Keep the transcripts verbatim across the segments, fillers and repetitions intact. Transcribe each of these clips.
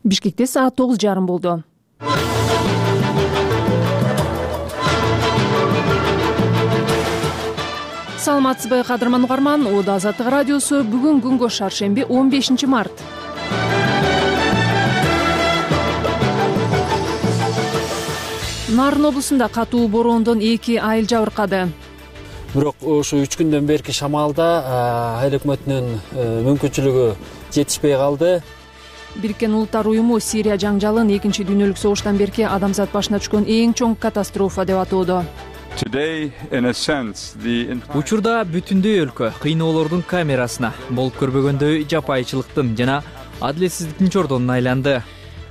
Бишкекте саат тогуз жарым болду. Саламатсызбы кадырман угарман, Ода Азаттык радиосу. Бүгүн күнгө шаршемби он бешинчи март. Нарын облусунда катуу бороондон эки айыл жабыркады. Бирок ушу үч күндөн берки шамалда айыл өкмөтүнүн мүмкүнчүлүгү жетишпей калды. Бириккен Улуттар уюму Сирия жаңжалын экинчи дүйнөлүк согуштан берки адамзат башына түшкөн эң чоң катастрофа деп атоодо. Учурда бүтүндөй өлкө кыйноолордун камерасына, болуп көрбөгөндөй жапайычылыктын жана адилетсиздиктин чордонуна айланды.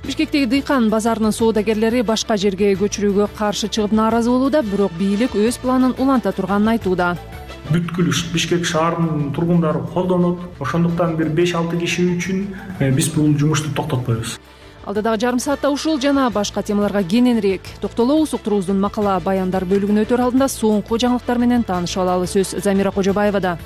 Бишкектеги дыйкан базарынын соодагерлери башка жерге көчүрүүгө каршы чыгып нааразы болууда, бирок бийлик өз планын уланта турганын айтууда. Бүткүл Бишкек шаарынын тургундары колдонот. Ошондуктан бир беш алты киши үчүн биз бул жумушту токтотпойбуз. Алдыдагы жарым саатта ушул жана башка темаларга кененирээк токтолобуз. Уктуруубуздун макала баяндар бөлүгүнө өтөр алдында соңку жаңылыктар менен таанышып алалы. Сөз Замира Кожобаевада.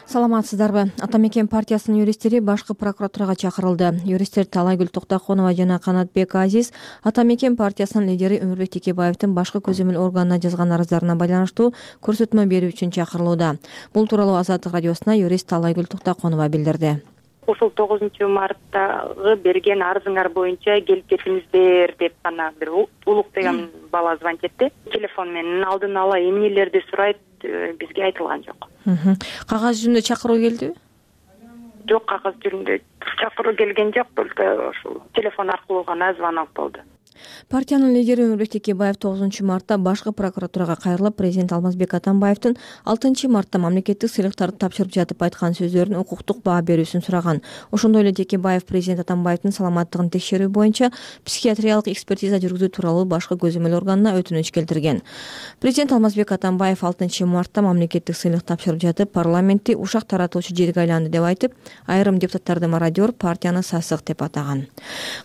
Саламатсыздарбы? Ата мекен партиясынын юристтери башкы прокуратурага чакырылды. Юристтер Талайгүл Токтоконова жана Канатбек Азиз Ата мекен партиясынын лидери Өмүрбек Текебаевдин башкы көзөмөл органына жазган арыздарына байланыштуу көрсөтмө берүү үчүн чакырылууда. Бул тууралуу Азаттык радиосуна юрист Талайгүл Токтоконова билдирди. Ушул тогузунчу марттагы берген арызыңар боюнча келип кетиңиздер деп гана бир Улук деген бала звонить этти. Телефон менен алдын ала эмнелерди сурайт, бизге айтылган жок. Кагаз жүзүндө чакыруу келдиби? Жок, кагаз жүзүндө чакыруу келген жок, только ушул телефон аркылуу гана звонок болду. Партиянын лидери Өмүрбек Текебаев тогузунчу мартта башкы прокуратурага кайрылып, президент Алмазбек Атамбаевдин алтынчы мартта мамлекеттик сыйлыктарды тапшырып жатып айткан сөздөрүнүн укуктук баа берүүсүн сураган. Ошондой эле Текебаев президент Атамбаевдин саламаттыгын текшерүү боюнча психиатриялык экспертиза жүргүзүү тууралуу башкы көзөмөл органына өтүнүч келтирген. Президент Алмазбек Атамбаев алтынчы мартта мамлекеттик сыйлык тапшырып жатып, парламентти ушак таратуучу жерге айланды деп айтып, айрым депутаттарды мародер, партияны сасык деп атаган.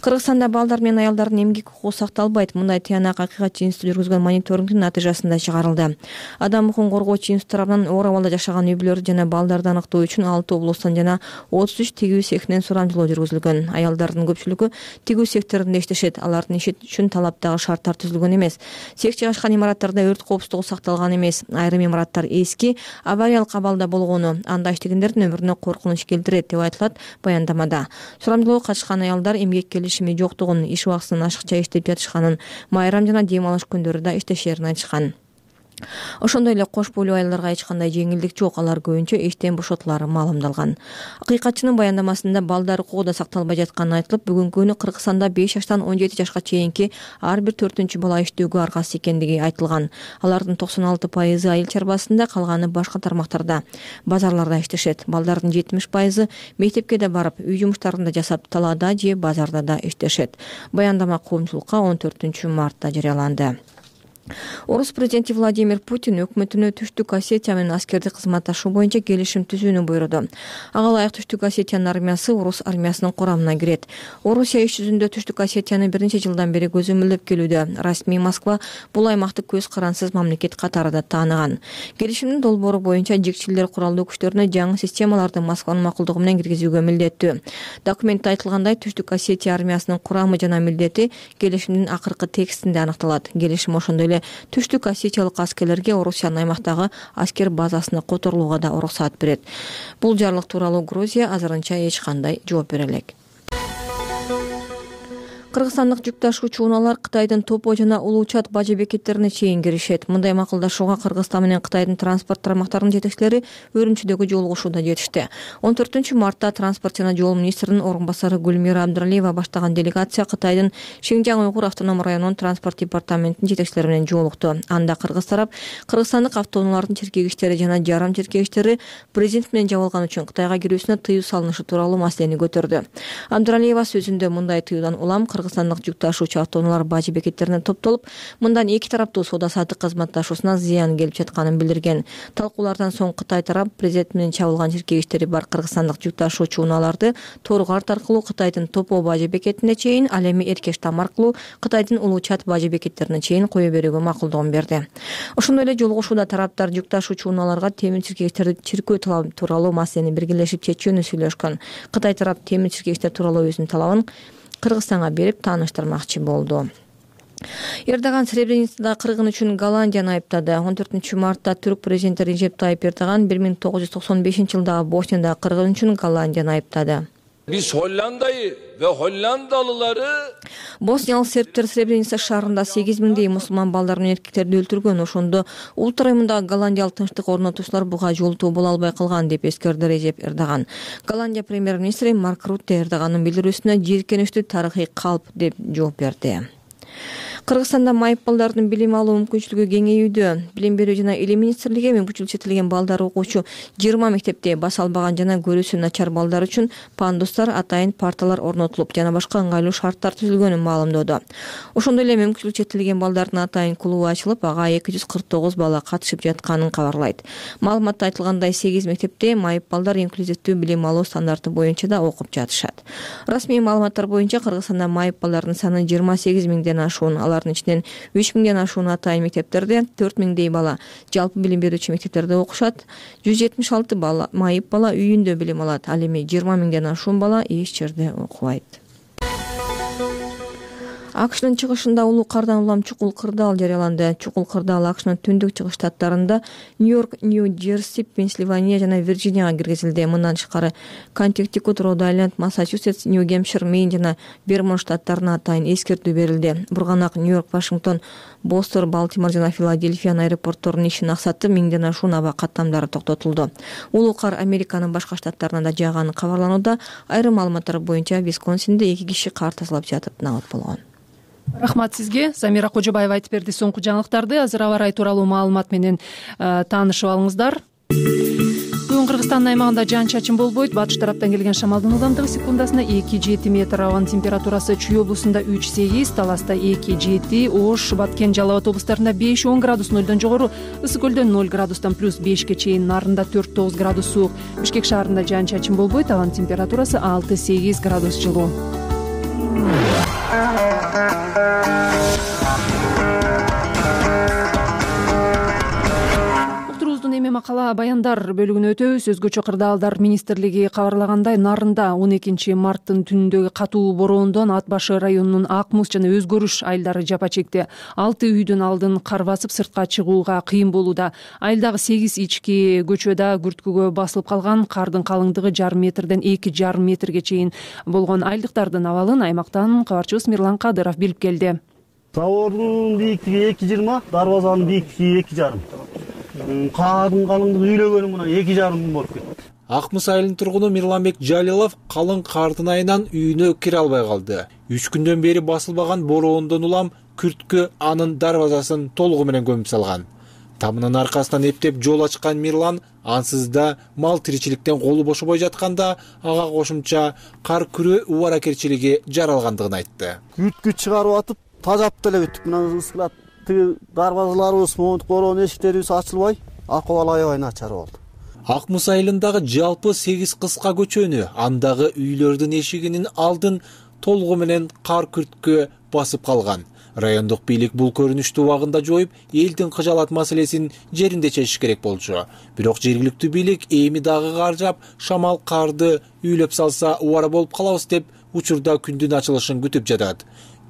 Кыргызстанда балдар менен аялдардын эмгек укугу сакталбайт. Мындай тыянак акыйкатчы институту жүргүзгөн мониторингдин натыйжасында чыгарылды. Адам укугун коргоочу институт тарабынан оор абалда жашаган үй бүлөлөрдү жана балдарды аныктоо үчүн алты облустан жана отуз үч тигүү цехинен сурамжылоо жүргүзүлгөн. Аялдардын көпчүлүгү тигүү секторунда иштешет. Алардын иши үчүн талаптагы шарттар түзүлгөн эмес. Цех жайгашкан имараттарда өрт коопсуздугу сакталган эмес. Айрым имараттар эски, авариялык абалда болгону анда иштегендердин өмүрүнө коркунуч келтирет деп айтылат баяндамада. Сурамжылоого катышкан аялдар эмгек келишими жоктугун, иш убактысынан ашыкча иштеп жатышканын, майрам жана дем алыш күндөрү да иштешерин айтышкан. Ошондой эле кош бойлуу аялдарга эч кандай жеңилдик жок, алар көбүнчө иштен бошотулары маалымдалган. Акыйкатчынын баяндамасында балдар укугу да сакталбай жатканы айтылып, бүгүнкү күнү Кыргызстанда беш жаштан он жети жашка чейинки ар бир төртүнчү бала иштөөгө аргасыз экендиги айтылган. Алардын токсон алты пайызы айыл чарбасында, калганы башка тармактарда, базарларда иштешет. Балдардын жетимиш пайызы мектепке да барып, үй жумуштарын да жасап, талаада же базарда да иштешет. Баяндама коомчулукка он төртүнчү мартта жарыяланды. Орус президенти Владимир Путин өкмөтүнө Түштүк Осетия менен аскерди кызматташуу боюнча келишим түзүүнү буйруду. Ага ылайык Түштүк Осетиянын армиясы орус армиясынын курамына кирет. Орусия иш жүзүндө Түштүк Осетияны бир нече жылдан бери көзөмөлдөп келүүдө. Расмий Москва бул аймакты көз карансыз мамлекет катарында тааныган. Келишимдин долбоору боюнча жигчилер куралдуу күчтөрүнө жаңы системаларды Москванын макулдугу менен киргизүүгө милдеттүү. Документте айтылгандай, Түштүк Осетия армиясынын курамы жана милдети келишимдин акыркы текстинде аныкталат. Келишим ошондой эле Түштүк Осетиялык аскерлерге Орусиянын аймактагы аскер базасына которулууга да уруксат берет. Бул жарлык тууралуу Грузия азырынча эч кандай жооп бере элек. Кыргызстандык жүк ташуучу унаалар Кытайдын Топо жана Улуучат бажы бекеттерине чейин киришет. Мындай макулдашууга Кыргызстан менен Кытайдын транспорт тармактарынын жетекчилери Өрүмчүдөгү жолугушууда жетишти. он төртүнчү мартта транспорт жана жол министринин орун басары Гүлмира Абдралиева баштаган делегация Кытайдын Шинжаң уйгур автоном районунун транспорт департаментинин жетекчилери менен жолукту. Анда кыргыз тарап кыргызстандык автоунаалардын чиркегичтери жана жарым чиркегичтери президент менен жабылган үчүн Кытайга кирүүсүнө тыюу салынышы тууралуу маселени көтөрдү. Абдралиева сөзүндө мындай тыюудан улам кыргызстандык жүк ташуучу автоунаалар бажы бекеттерине топтолуп, мындан эки тараптуу соода саттык кызматташуусуна зыян келип жатканын билдирген. Талкуулардан соң Кытай тарап президент менен чабылган чиркегиштери бар кыргызстандык жүк ташуучу унааларды Торгарт аркылуу Кытайдын Топо бажы бекетине чейин, ал эми Эркештам аркылуу Кытайдын Улуу Чат бажы бекеттерине чейин кое берүүгө макулдугун берди. Ошондой эле жолугушууда тараптар жүк ташуучу унааларга темир чиркегичтерди чиркөө талабы тууралуу маселени биргелешип чечүүнү сүйлөшкөн. Кытай тарап темир чиркегичтер тууралуу өзүнүн талабын Кыргызстанга берип тааныштырмакчы болду. Эрдоган Сребреницада кыргын үчүн Голландияны айыптады. он төртүнчү мартта түрк президенти Режеп Тайып Эрдоган бир миң тогуз жүз токсон бешинчи жылдагы Боснияда кыргын үчүн Голландияны айыптады. Biz Hollanda'yı ve Hollandalıları Босниялык сербтер Сребреница шаарында сегиз миңдей мусулман балдар менен эркектерди өлтүргөн. Ошондо улут районундагы голландиялык тынчтык орнотуучулар буга жолтоо боло албай калган деп эскерди Режеп Эрдоган. Голландия премьер-министри Марк Рутте Эрдогандын билдирүүсүнө жийиркеничтүү тарыхый калп деп жооп берди. Кыргызстанда майып балдардын билим алуу мүмкүнчүлүгү кеңейүүдө. Билим берүү жана илим министрлиги мүмкүнчүлүгү чектелген балдар окуучу жыйырма мектепте баса албаган жана көрүүсү начар балдар үчүн пандустар, атайын парталар орнотулуп жана башка ыңгайлуу шарттар түзүлгөнүн маалымдоодо. Ошондой эле мүмкүнчүлүгү чектелген балдардын атайын клубу ачылып, ага эки жүз кырк тогуз бала катышып жатканын кабарлайт. Маалыматта айтылгандай, сегиз мектепте майып балдар инклюзивдүү билим алуу стандарты боюнча да окуп жатышат. Расмий маалыматтар боюнча Кыргызстанда майып балдардын саны жыйырма сегиз миңден ашуун. Алардын ичинен үч миңден ашуун атайын мектептерде, төрт миңдей бала жалпы билим берүүчү мектептерде окушат. жүз жетимиш алты бала майып бала үйүндө билим алат. Ал эми жыйырма миңден ашуун бала эч жерде окубайт. АКШнын чыгышында улуу кардан улам чукул кырдаал жарыяланды. Чукул кырдаал АКШнын түндүк чыгыш штаттарында Нью-Йорк, Нью-Джерси, Пенсильвания жана Вирджинияга киргизилди. Мындан тышкары Коннектикут, Род-Айленд, Массачусетс, Нью-Гэмпшир, Мэйн жана Вермонт штаттарына атайын эскертүү берилди. Бурганак Нью-Йорк, Вашингтон, Бостон, Балтимор жана Филадельфиянын аэропортторунун ишин аксатып, миңден ашуун аба каттамдары токтотулду. Улуу кар Американын башка штаттарына да жааганы кабарланууда. Айрым маалыматтар боюнча Висконсинде эки киши кар тазалап жатып набат болгон. Рахмат сизге. Замира Кожобаева айтып берди соңку жаңылыктарды. Азыр аба ырайы тууралуу маалымат менен таанышып алыңыздар. Бүгүн Кыргызстандын аймагында жаан-чачын болбойт. Батыш тараптан келген шамалдын ылдамдыгы секундасына эки жети метр, абанын температурасы Чүй облусунда үч сегиз, Таласта эки жети, Ош, Баткен, Жалал Абад облустарында беш он градус, нөлдөн жогору, Ысык көлдө ноль градустан плюс бешке чейин, Нарында төрт тогуз градус суук. Бишкек шаарында жаан-чачын болбойт, абанын температурасы алты сегиз градус жылуу. Эми макала баяндар бөлүгүнө өтөбүз. Өзгөчө кырдаалдар министрлиги кабарлагандай, Нарында он экинчи марттын түнүндөгү катуу бороондон Ат башы районунун Ак Муз жана Өзгөрүш айылдары жапа чекти. Алты үйдүн алдын кар басып, сыртка чыгууга кыйын болууда. Айылдагы сегиз ички көчөдө күрткүгө басылып калган. Кардын калыңдыгы жарым метрден эки жарым метрге чейин болгон. Айылдыктардын абалын аймактан кабарчыбыз Мирлан Кадыров билип келди. Забордун бийиктиги эки жыйырма, дарбазанын бийиктиги эки жарым. Каадын калыңдыгы үйлөгөнү мына эки жарым болуп кетти. Ак Муз айылынын тургуну Мирланбек Жалилов калың кардын айынан үйүнө кире албай калды. Үч күндөн бери басылбаган бороондон улам күрткү анын дарбазасын толугу менен көмүп салган. Тамынын аркасынан эптеп жол ачкан Мирлан ансыз да мал тиричиликтен колу бошобой жатканда ага кошумча кар күрөө убаракерчилиги жаралгандыгын айтты. Күрткү чыгарып атып, тажап деле бүттүк. Мына ысылат дарбазаларыбыз, монтук бороон эшиктерибиз ачылбай, акыбал аябай начар болду. Ак Муз айылындагы жалпы сегиз кыска көчөнү, андагы үйлөрдүн эшигинин алдын толугу менен кар күрткү басып калган. Райондук бийлик бул көрүнүштү убагында жоюп, элдин кыжаалат маселесин жеринде чечиш керек болчу. Бирок жергиликтүү бийлик эми дагы кар жаап, шамал карды үйлөп салса убара болуп калабыз деп учурда күндүн ачылышын күтүп жатат.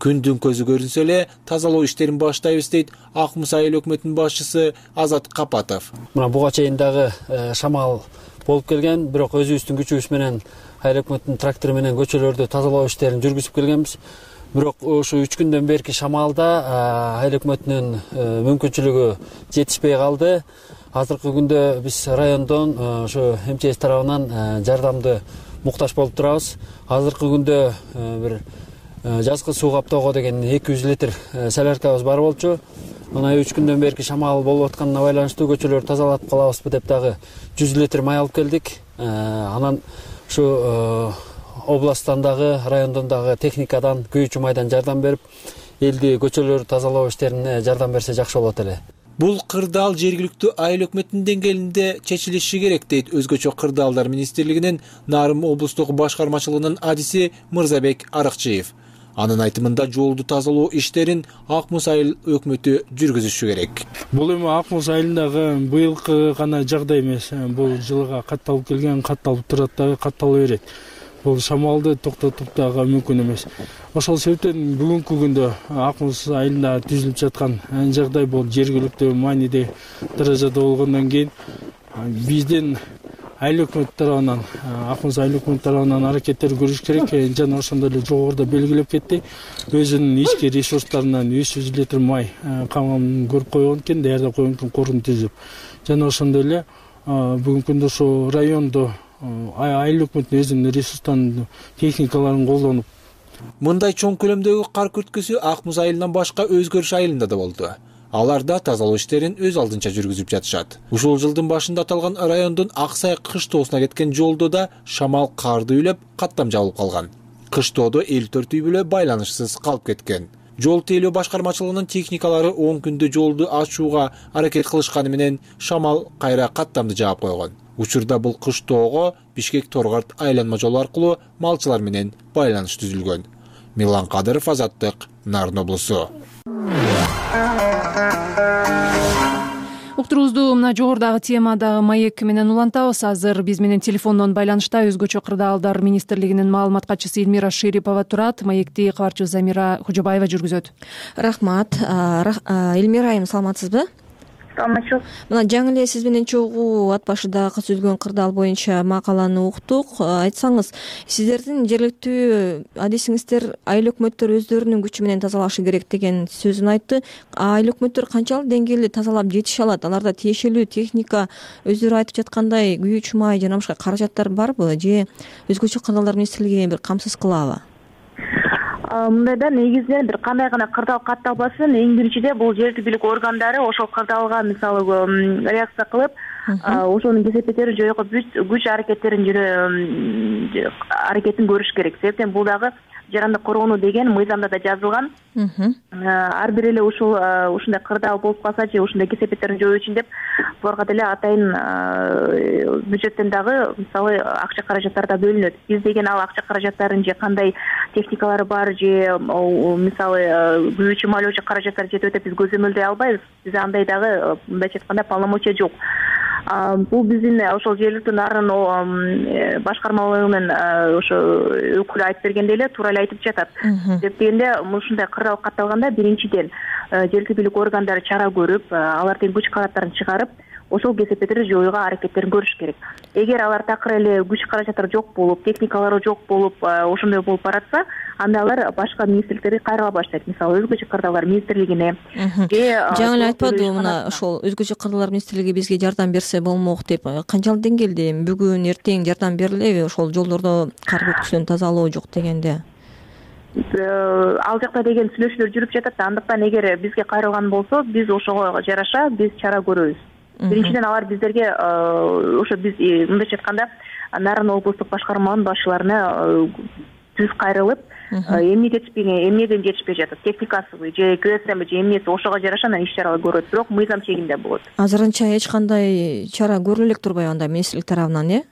Күндүн көзү көрүнсө эле тазалоо иштерин баштайбыз дейт Ак Муз айыл өкмөтүнүн башчысы Азат Капатов. Мына буга чейин дагы шамал болуп келген, бирок өзүбүздүн күчүбүз менен айыл өкмөтүнүн трактору менен көчөлөрдү тазалоо иштерин жүргүзүп келгенбиз. Бирок ушу үч күндөн берки шамалда айыл өкмөтүнүн мүмкүнчүлүгү жетишпей калды. Азыркы күндө биз райондон ушу эм че эс тарабынан жардамды муктаж болуп турабыз. Азыркы күндө бир жазгы суу каптоого деген эки жүз литр соляркабыз бар болчу. Мына үч күндөн берки шамал болуп атканына байланыштуу көчөлөрдү тазалап калабызбы деп дагы жүз литр май алып келдик. Анан ушу областтан дагы, райондон дагы техникадан, күйүүчү майдан жардам берип, элди көчөлөрдү тазалоо иштерине жардам берсе жакшы болот эле. Бул кырдаал жергиликтүү айыл өкмөтүнүн деңгээлинде чечилиши керек дейт Өзгөчө кырдаалдар министрлигинин Нарым облустук башкармачылыгынын адиси Мырзабек Арыкчыев. Анын айтымында жолду тазалоо иштерин Ак Муз айыл өкмөтү жүргүзүшү керек. Бул эми Ак Муз айылындагы быйылкы гана жагдай эмес. Бул жылга катталып келген, катталып турат дагы, каттала берет. Бул шамалды токтотуп дагы мүмкүн эмес. Ошол себептен бүгүнкү күндө Ак Муз айылында түзүлүп жаткан жагдай бул жергиликтүү мааниде даражада болгондон кийин биздин айыл өкмөт тарабынан, Ак Муз айыл өкмөт тарабынан аракеттер көрүш керек. Жана ошондой эле жогоруда белгилеп кетти. Өзүнүн ички ресурстарынан үч жүз литр май камын көрүп койгон экен, даярдап койгон экен, корун түзүп. Жана ошондой эле бүгүнкү күндө ошо райондо айыл өкмөтүнүн өзүнүн ресурстарын, техникаларын колдонуп. Мындай чоң көлөмдөгү кар күрткүсү Ак Муз айылынан башка Өзгөрүш айылында да болду. Аларда тазалоо иштерин өз алдынча жүргүзүп жатышат. Ушул жылдын башында аталган райондун Аксай кыштоосуна кеткен жолдо да шамал карды үйлөп, каттам жабылып калган. Кыштоодо элүү төрт үй бүлө байланышсыз калып кеткен. Жол тейлөө башкармачылыгынын техникалары он күндө жолду ачууга аракет кылышканы менен шамал кайра каттамды жаап койгон. Учурда бул кыштоого Бишкек Торгарт айланма жолу аркылуу малчылар менен байланыш түзүлгөн. Милан Кадыров, Азаттык, Нарын облусу. Уктуруубузду мына жогорудагы темадагы маек менен улантабыз. Азыр биз менен телефондон байланышта Өзгөчө кырдаалдар министрлигинин маалымат катчысы Элмира Шерипова турат. Маекти кабарчыбыз Замира Кожобаева жүргүзөт. Рахмат. Элмира айым, саламатсызбы? Саламатчылык. Мына жаңы эле сиз менен чогуу ат башыдагы түзүлгөн кырдаал боюнча макаланы уктук. Айтсаңыз, сиздердин жергиликтүү адисиңиздер айыл өкмөттөр өздөрүнүн күчү менен тазалашы керек деген сөзүн айтты. Айыл өкмөттөр канчалык деңгээлде тазалап жетише алат? Аларда тиешелүү техника, өздөрү айтып жаткандай күйүүчү май жана башка каражаттар барбы, же Өзгөчө кырдаалдар министрлиги бир камсыз кылабы? Мындайда негизинен бир кандай гана кырдаал катталбасын, эң биринчиде бул жергиликтүү бийлик органдары ошол кырдаалга мисалы реакция кылып, ошонун кесепеттерин жоюуга күч аракеттерин аракетин көрүш керек. Себептен бул дагы жарандык коргонуу деген мыйзамда да жазылган. Ар бир эле ушул ушундай кырдаал болуп калса же ушундай кесепеттерин жоюу үчүн деп буларга деле атайын бюджеттен дагы мисалы акча каражаттар да бөлүнөт. Биз деген ал акча каражаттарын же кандай техникалары бар же мисалы күйүүчү майлоочу каражаттар жетип өтөп биз көзөмөлдөй албайбыз. Бизде андай дагы мындайча айтканда полномочия жок. Бул биздин ошол жергиликтүү Нарын башкармалыгынын ошо өкүлү айтып бергендей эле туура эле айтып жатат. Деп дегенде ушундай кырдаал катталганда биринчиден жергиликтүү бийлик органдары чара көрүп, алардын күч каражаттарын чыгарып, ошол кесепеттерди жоюуга аракеттерин көрүш керек. Эгер алар такыр эле күч каражаттары жок болуп, техникалары жок болуп, ошондой болуп баратса, анда алар башка министрликтерге кайрыла баштайт. Мисалы Өзгөчө кырдаалдар министрлигине же жаңы эле айтпадыбы мына ошол Өзгөчө кырдаалдар министрлиги бизге жардам берсе болмок деп. Канчалык деңгээлде бүгүн эртең жардам берилеби ошол жолдордо кар күрткүсүн тазалоо жок дегенде? Ал жакта деген сүйлөшүүлөр жүрүп жатат. Андыктан эгер бизге кайрылган болсо, биз ошого жараша биз чара көрөбүз. Биринчиден алар биздерге ошо биз мындайча айтканда Нарын облустук башкарманын башчыларына түз кайрылып, эмне жетишпеген, эмнеден жетишпей жатат, техникасыбы же КСМби же эмнеси ошого жараша анан иш чара көрөт, бирок мыйзам чегинде болот. Азырынча эч кандай чара көрүлө элек турбайбы анда министрлик тарабынан, э?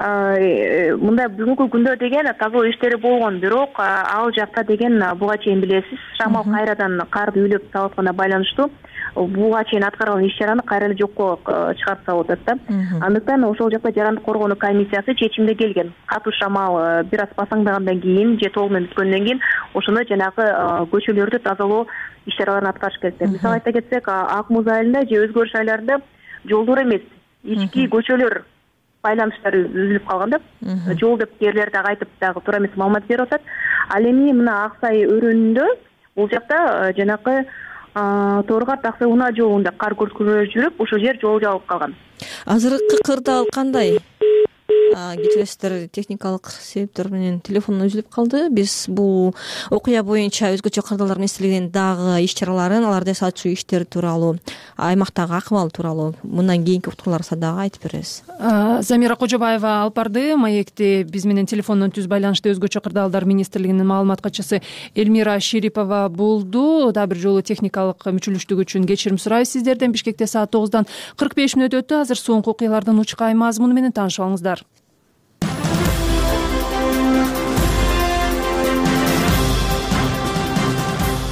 Мындай бүгүнкү күндө деген тазалоо иштери болгон, бирок ал жакта деген буга чейин билесиз, шамал кайрадан карды үйлөп салатканга байланыштуу буга чейин аткарылган иш чараны кайра эле жокко чыгарып салып атат да. Андыктан ошол жакта жарандык коргонуу комиссиясы чечимге келген. Катуу шамал бир аз басаңдагандан кийин же толук менен бүткөндөн кийин ошондо жанагы көчөлөрдү тазалоо иш чараларын аткарыш керек деп. Мисалы айта кетсек, Ак Муз айылында же Өзгөрүш айылдарында жолдор эмес, ички көчөлөр байланыштары үзүлүп калган да. Жол деп кээрлер дагы айтып дагы туура эмес маалымат берип атат. Ал эми мына Аксай өрөөнүндө бул жакта жанакы Торгарт Аксай унаа жолунда кар күрткүлөр жүрүп, ошол жер жол жабылып калган. Азыркы кырдаал кандай? кечиресиздер, техникалык себептер менен телефон үзүлүп калды. Биз бул окуя боюнча өзгөчө кырдаалдар министрлигинин дагы иш чараларын, аларды сатчу иштери тууралуу, аймактагы акыбал тууралуу мындан кийинки уктурууларыбызда дагы айтып беребиз. Замира Кожобаева алып барды. Маекте биз менен телефондон түз байланышта өзгөчө кырдаалдар министрлигинин маалымат катчысы Эльмира Шерипова болду. Дагы бир жолу техникалык мүчүлүштүк үчүн кечирим сурайбыз сиздерден. Бишкекте саат тогуздан кырк беш мүнөт өттү. Азыр соңку окуялардын учкай мазмуну менен таанышып алыңыздар.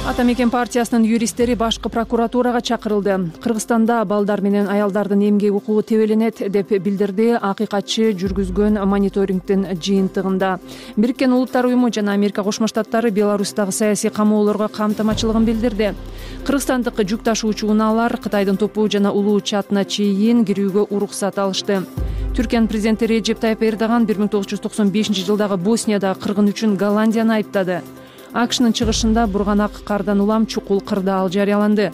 Ата мекен партиясынын юристтери башкы прокуратурага чакырылды. Кыргызстанда балдар менен аялдардын эмгек укугу тебеленет деп билдирди акыйкатчы жүргүзгөн мониторингдин жыйынтыгында. Бириккен Улуттар уюму жана Америка Кошмо Штаттары Беларустагы саясий камоолорго камтамачылыгын билдирди. Кыргызстандык жүк ташуучу унаалар Кытайдын Топу жана Улуу Чатына чейин кирүүгө уруксат алышты. Түркиянын президенти Реджеп Тайып Эрдоган бир миң тогуз жүз токсон бешинчи жылдагы Босниядагы кыргын үчүн Голландияны айыптады. АКШнын чыгышында бурганак кардан улам чукул кырдаал жарыяланды.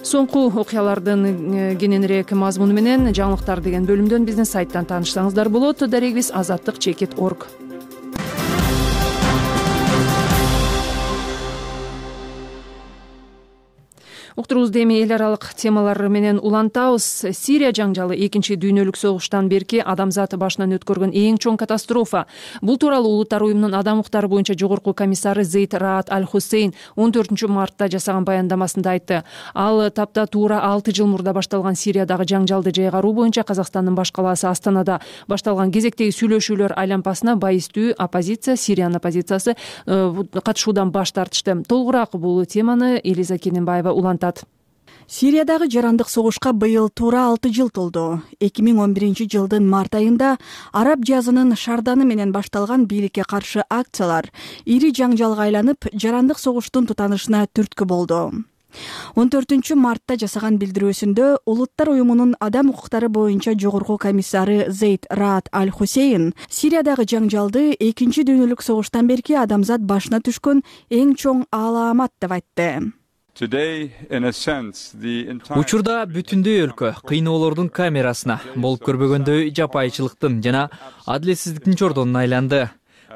Соңку окуялардын кененирээк мазмуну менен жаңылыктар деген бөлүмдөн биздин сайттан таанышсаңыздар болот. Дарегибиз азаттык чекит точка орг. Уктуруубузду эми эл аралык темалар менен улантабыз. Сирия жаңжалы экинчи дүйнөлүк согуштан берки адамзат башынан өткөргөн эң чоң катастрофа. Бул тууралуу Улуттар уюмунун адам укуктары боюнча жогорку комиссары Зейд Раат Аль-Хусейн он төртүнчү мартта жасаган баяндамасында айтты. Ал тапта туура алты жыл мурда башталган Сириядагы жаңжалды жайгаруу боюнча Казакстандын баш калаасы Астанада башталган кезектеги сүйлөшүүлөр айлампасына байыстуу оппозиция, Сириянын оппозициясы катышуудан баш тартышты. Толугураак бул теманы Элиза Кененбаева улантат. Сириядагы жарандык согушка быйыл туура алты жыл толду. эки миң он биринчи жылдын март айында араб жазынын шарданы менен башталган бийликке каршы акциялар ири жаңжалга айланып, жарандык согуштун тутанышына түрткү болду. он төртүнчү мартта жасаган билдирүүсүндө Улуттар уюмунун адам укуктары боюнча жогорку комиссары Зейд Раат Аль-Хусейн Сириядагы жаңжалды экинчи дүйнөлүк согуштан берки адамзат башына түшкөн эң чоң аламат деп айтты. Учурда бүтүндөй өлкө кыйноолордун камерасына, болуп көрбөгөндөй жапайычылыктын жана адилетсиздиктин чордонуна айланды.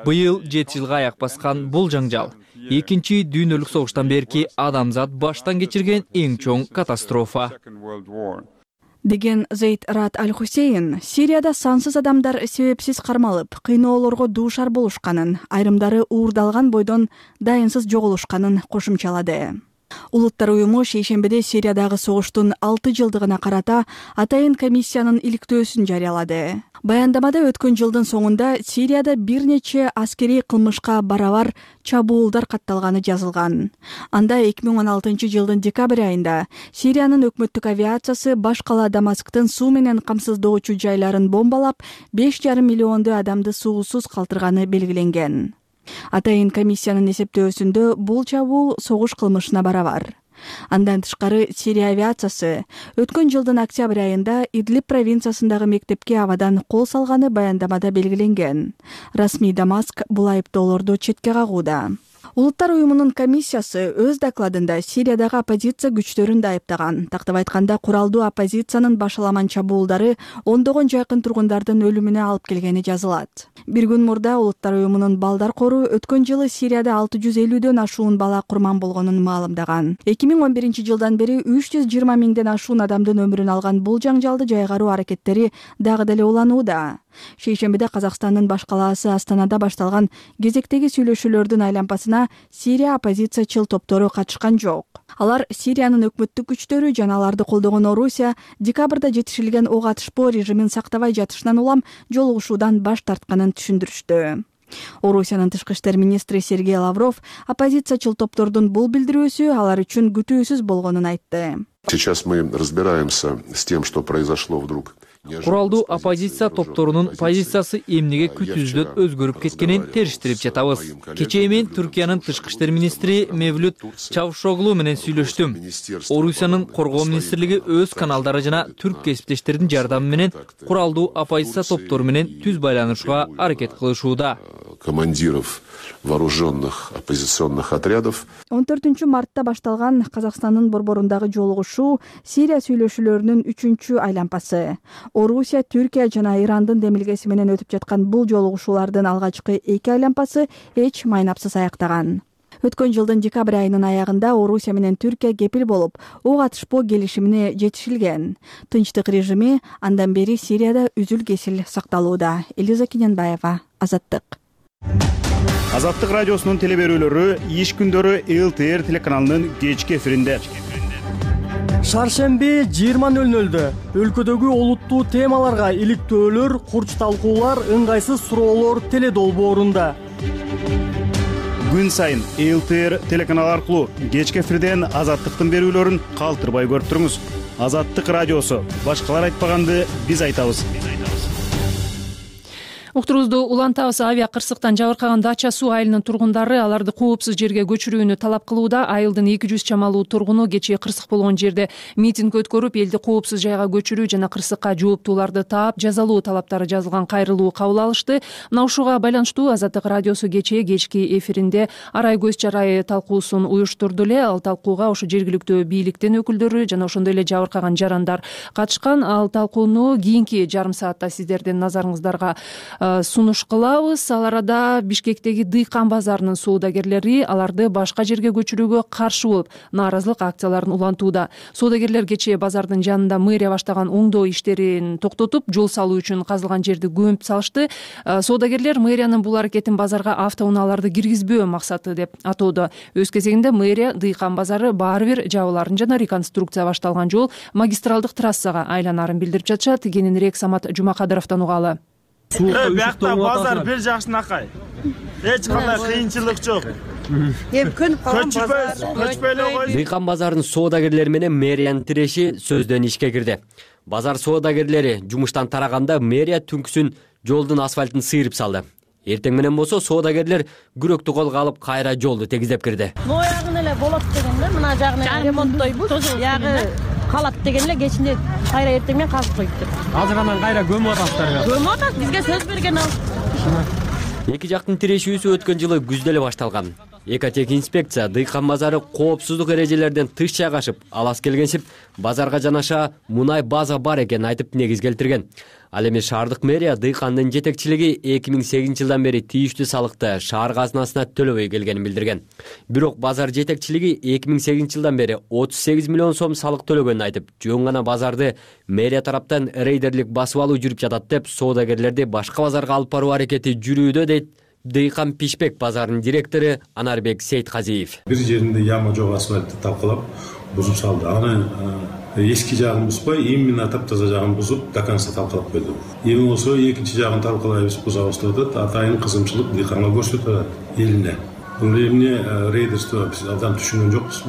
Быйыл жети жылга аяк баскан бул жаңжал экинчи дүйнөлүк согуштан берки адамзат баштан кечирген эң чоң катастрофа. Деген Зейд Раат Аль-Хусейн Сирияда сансыз адамдар себепсиз кармалып, кыйноолорго дуушар болушканын, айрымдары уурдалган бойдон дайынсыз жоголушканын кошумчалады. Улуттар уюму шейшембиде Сириядагы согуштун алты жылдыгына карата атайын комиссиянын иликтөөсүн жарыялады. Баяндамада өткөн жылдын соңунда Сирияда бир нече аскерий кылмышка барабар чабуулдар катталганы жазылган. Анда эки миң он алтынчы жылдын декабрь айында Сириянын өкмөттүк авиациясы баш кала Дамасктын суу менен камсыздоочу жайларын бомбалап, беш жарым миллиондой адамды суусуз калтырганы белгиленген. Атайын комиссиянын эсептөөсүндө бул чабуул согуш кылмышына барабар. Андан тышкары Сирия авиациясы өткөн жылдын октябрь айында Идлиб провинциясындагы мектепке абадан кол салганы баяндамада белгиленген. Расмий Дамаск бул айыптоолорду четке кагууда. Улуттар уюмунун комиссиясы өз докладында Сириядагы оппозиция күчтөрүн да айыптаган. Тактап айтканда, куралдуу оппозициянын башаламан чабуулдары ондогон жакын тургундардын өлүмүнө алып келгени жазылат. Бир күн мурда Улуттар уюмунун балдар кору өткөн жылы Сирияда алты жүз элүүдөн ашуун бала курман болгонун маалымдаган. эки миң он биринчи жылдан бери үч жүз жыйырма миңден ашуун адамдын өмүрүн алган бул жаңжалды жайгаруу аракеттери дагы деле уланууда. Шейшембиде Казакстандын баш калаасы Астанада башталган кезектеги сүйлөшүүлөрдүн айлампасына Сирия оппозициячыл топтору катышкан жок. Алар Сириянын өкмөттүк күчтөрү жана аларды колдогон Орусия декабрда жетишилген ок атышпоо режимин сактабай жатышынан улам жолугушуудан баш тартканын түшүндүрүштү. Орусиянын тышкы иштер министри Сергей Лавров оппозициячыл топтордун бул билдирүүсү алар үчүн күтүүсүз болгонун айтты. Сейчас мы разбираемся с тем, что произошло вдруг. Куралдуу оппозиция топторунун позициясы эмнеге күтүүсүздөн өзгөрүп кеткенин териштирип жатабыз. Кечээ мен Түркиянын тышкы иштер министри Мевлют Чавушоглу менен сүйлөштүм. Орусиянын коргоо министрлиги өз каналдары жана түрк кесиптештеринин жардамы менен куралдуу оппозиция топтору менен түз байланышууга аракет кылышууда. командиров вооруженных оппозиционных отрядов. он төртүнчү мартта башталган Казакстандын борборундагы жолугушуу Сирия сүйлөшүүлөрүнүн үчүнчү айланпасы. Орусия, Түркия жана Ирандын демилгеси менен өтүп жаткан бул жолугушуулардын алгачкы эки айланпасы эч майнапсыз аяктаган. Өткөн жылдын декабрь айынын аягында Орусия менен Түркия кепил болуп, ок атышпоо келишимине жетишилген. Тынчтык режими андан бери Сирияда үзүл-кесил сакталууда. Элиза Кененбаева, Азаттык. Азаттык радиосунун телеберүүлөрү иш күндөрү эл тэ эр телеканалынын кечки эфиринде. Шаршемби жыйырма нөл нөлдө өлкөдөгү олуттуу темаларга иликтөөлөр, курч талкуулар, ыңгайсыз суроолор теледолбоорунда. Күн сайын эл тэ эр телеканалы аркылуу кечки эфирден Азаттыктын берүүлөрүн калтырбай көрүп туруңуз. Азаттык радиосу. Башкалар айтпаганды биз айтабыз. Уктурубузду улантабыз. Авиа кырсыктан жабыркаган Дача суу айылынын тургундары аларды коопсуз жерге көчүрүүнү талап кылууда. Айылдын эки жүз чамалуу тургуну кечээ кырсык болгон жерде митинг өткөрүп, элди коопсуз жайга көчүрүү жана кырсыкка жооптууларды таап, жазалуу талаптары жазылган кайрылуу кабыл алышты. Мына ушуга байланыштуу Азаттык радиосу кечээ кечки эфиринде арай көз чарай талкуусун уюштурду эле. Ал талкууга ошо жергиликтүү бийликтин өкүлдөрү жана ошондой эле жабыркаган жарандар катышкан. Ал талкууну кийинки жарым саатта сиздердин назарыңыздарга сунуш кылабыз. Ал арада Бишкектеги Дыйкан базарынын соодагерлери аларды башка жерге көчүрүүгө каршы болуп, нааразылык акцияларын улантууда. Соодагерлер кечээ базардын жанында мэрия баштаган оңдоо иштерин токтотуп, жол салуу үчүн казылган жерди көмүп салышты. Соодагерлер мэриянын бул аракетин базарга автоунааларды киргизбөө максаты деп атоодо. Өз кезегинде мэрия Дыйкан базары баары бир жабыларын жана реконструкция башталган жол магистралдык трассага айланарын билдирип жатышат. Кененирээк Самат Жумакадыровдон угалы. Биякта базар бир жакшынакай. Эч кандай кыйынчылык жок. Эми көнүп калган базар. Көчпөйлөй кой. Дыйкан базарынын соодагерлери менен мэриянын тиреши сөздөн ишке кирди. Базар соодагерлери жумуштан тараганда мэрия түнкүсүн жолдун асфальтын сыйрып салды. Эртең менен болсо соодагерлер күрөктү колго алып кайра жолду тегиздеп кирди. Моягын эле болот дегенде мына жагына ремонттойбуз. Ягы калат деген эле кечинде кайра эртең менен казып коюптур. Азыр анан кайра көмүп атасыздар. Көмүп атат, бизге сөз берген ал. Эки жактын тирешүүсү өткөн жылы күздө эле башталган. Экотех инспекция Дыйкан базары коопсуздук эрежелерден тыш жайгашып, алас келгенсип, базарга жанаша мунай база бар экенин айтып негиз келтирген. Ал эми шаардык мэрия Дыйкандын жетекчилиги эки миң сегизинчи жылдан бери тийиштүү салыкты шаар казынасына төлөбөй келгенин билдирген. Бирок базар жетекчилиги эки миң сегизинчи жылдан бери отуз сегиз миллион сом салык төлөгөнүн айтып, жөн гана базарды мэрия тараптан рейдерлик басып алуу жүрүп жатат деп, соодагерлерди башка базарга алып баруу аракети жүрүүдө дейт Дыйкан Пишпек базарынын директору Анарбек Сейтказиев. Бир жеринде яма жок асфальтты талкалап бузуп салды. Аны эски жагын бузбай, именно таптаза жагын бузуп, до конца талкалап берди. Эми болсо экинчи жагын талкалайбыз, бузабыз деп атат. Атайын кызымчылык Дыйканга көрсөтүп атат элине. Бул эмне рейдерство биз абдан түшүнгөн жокпуз.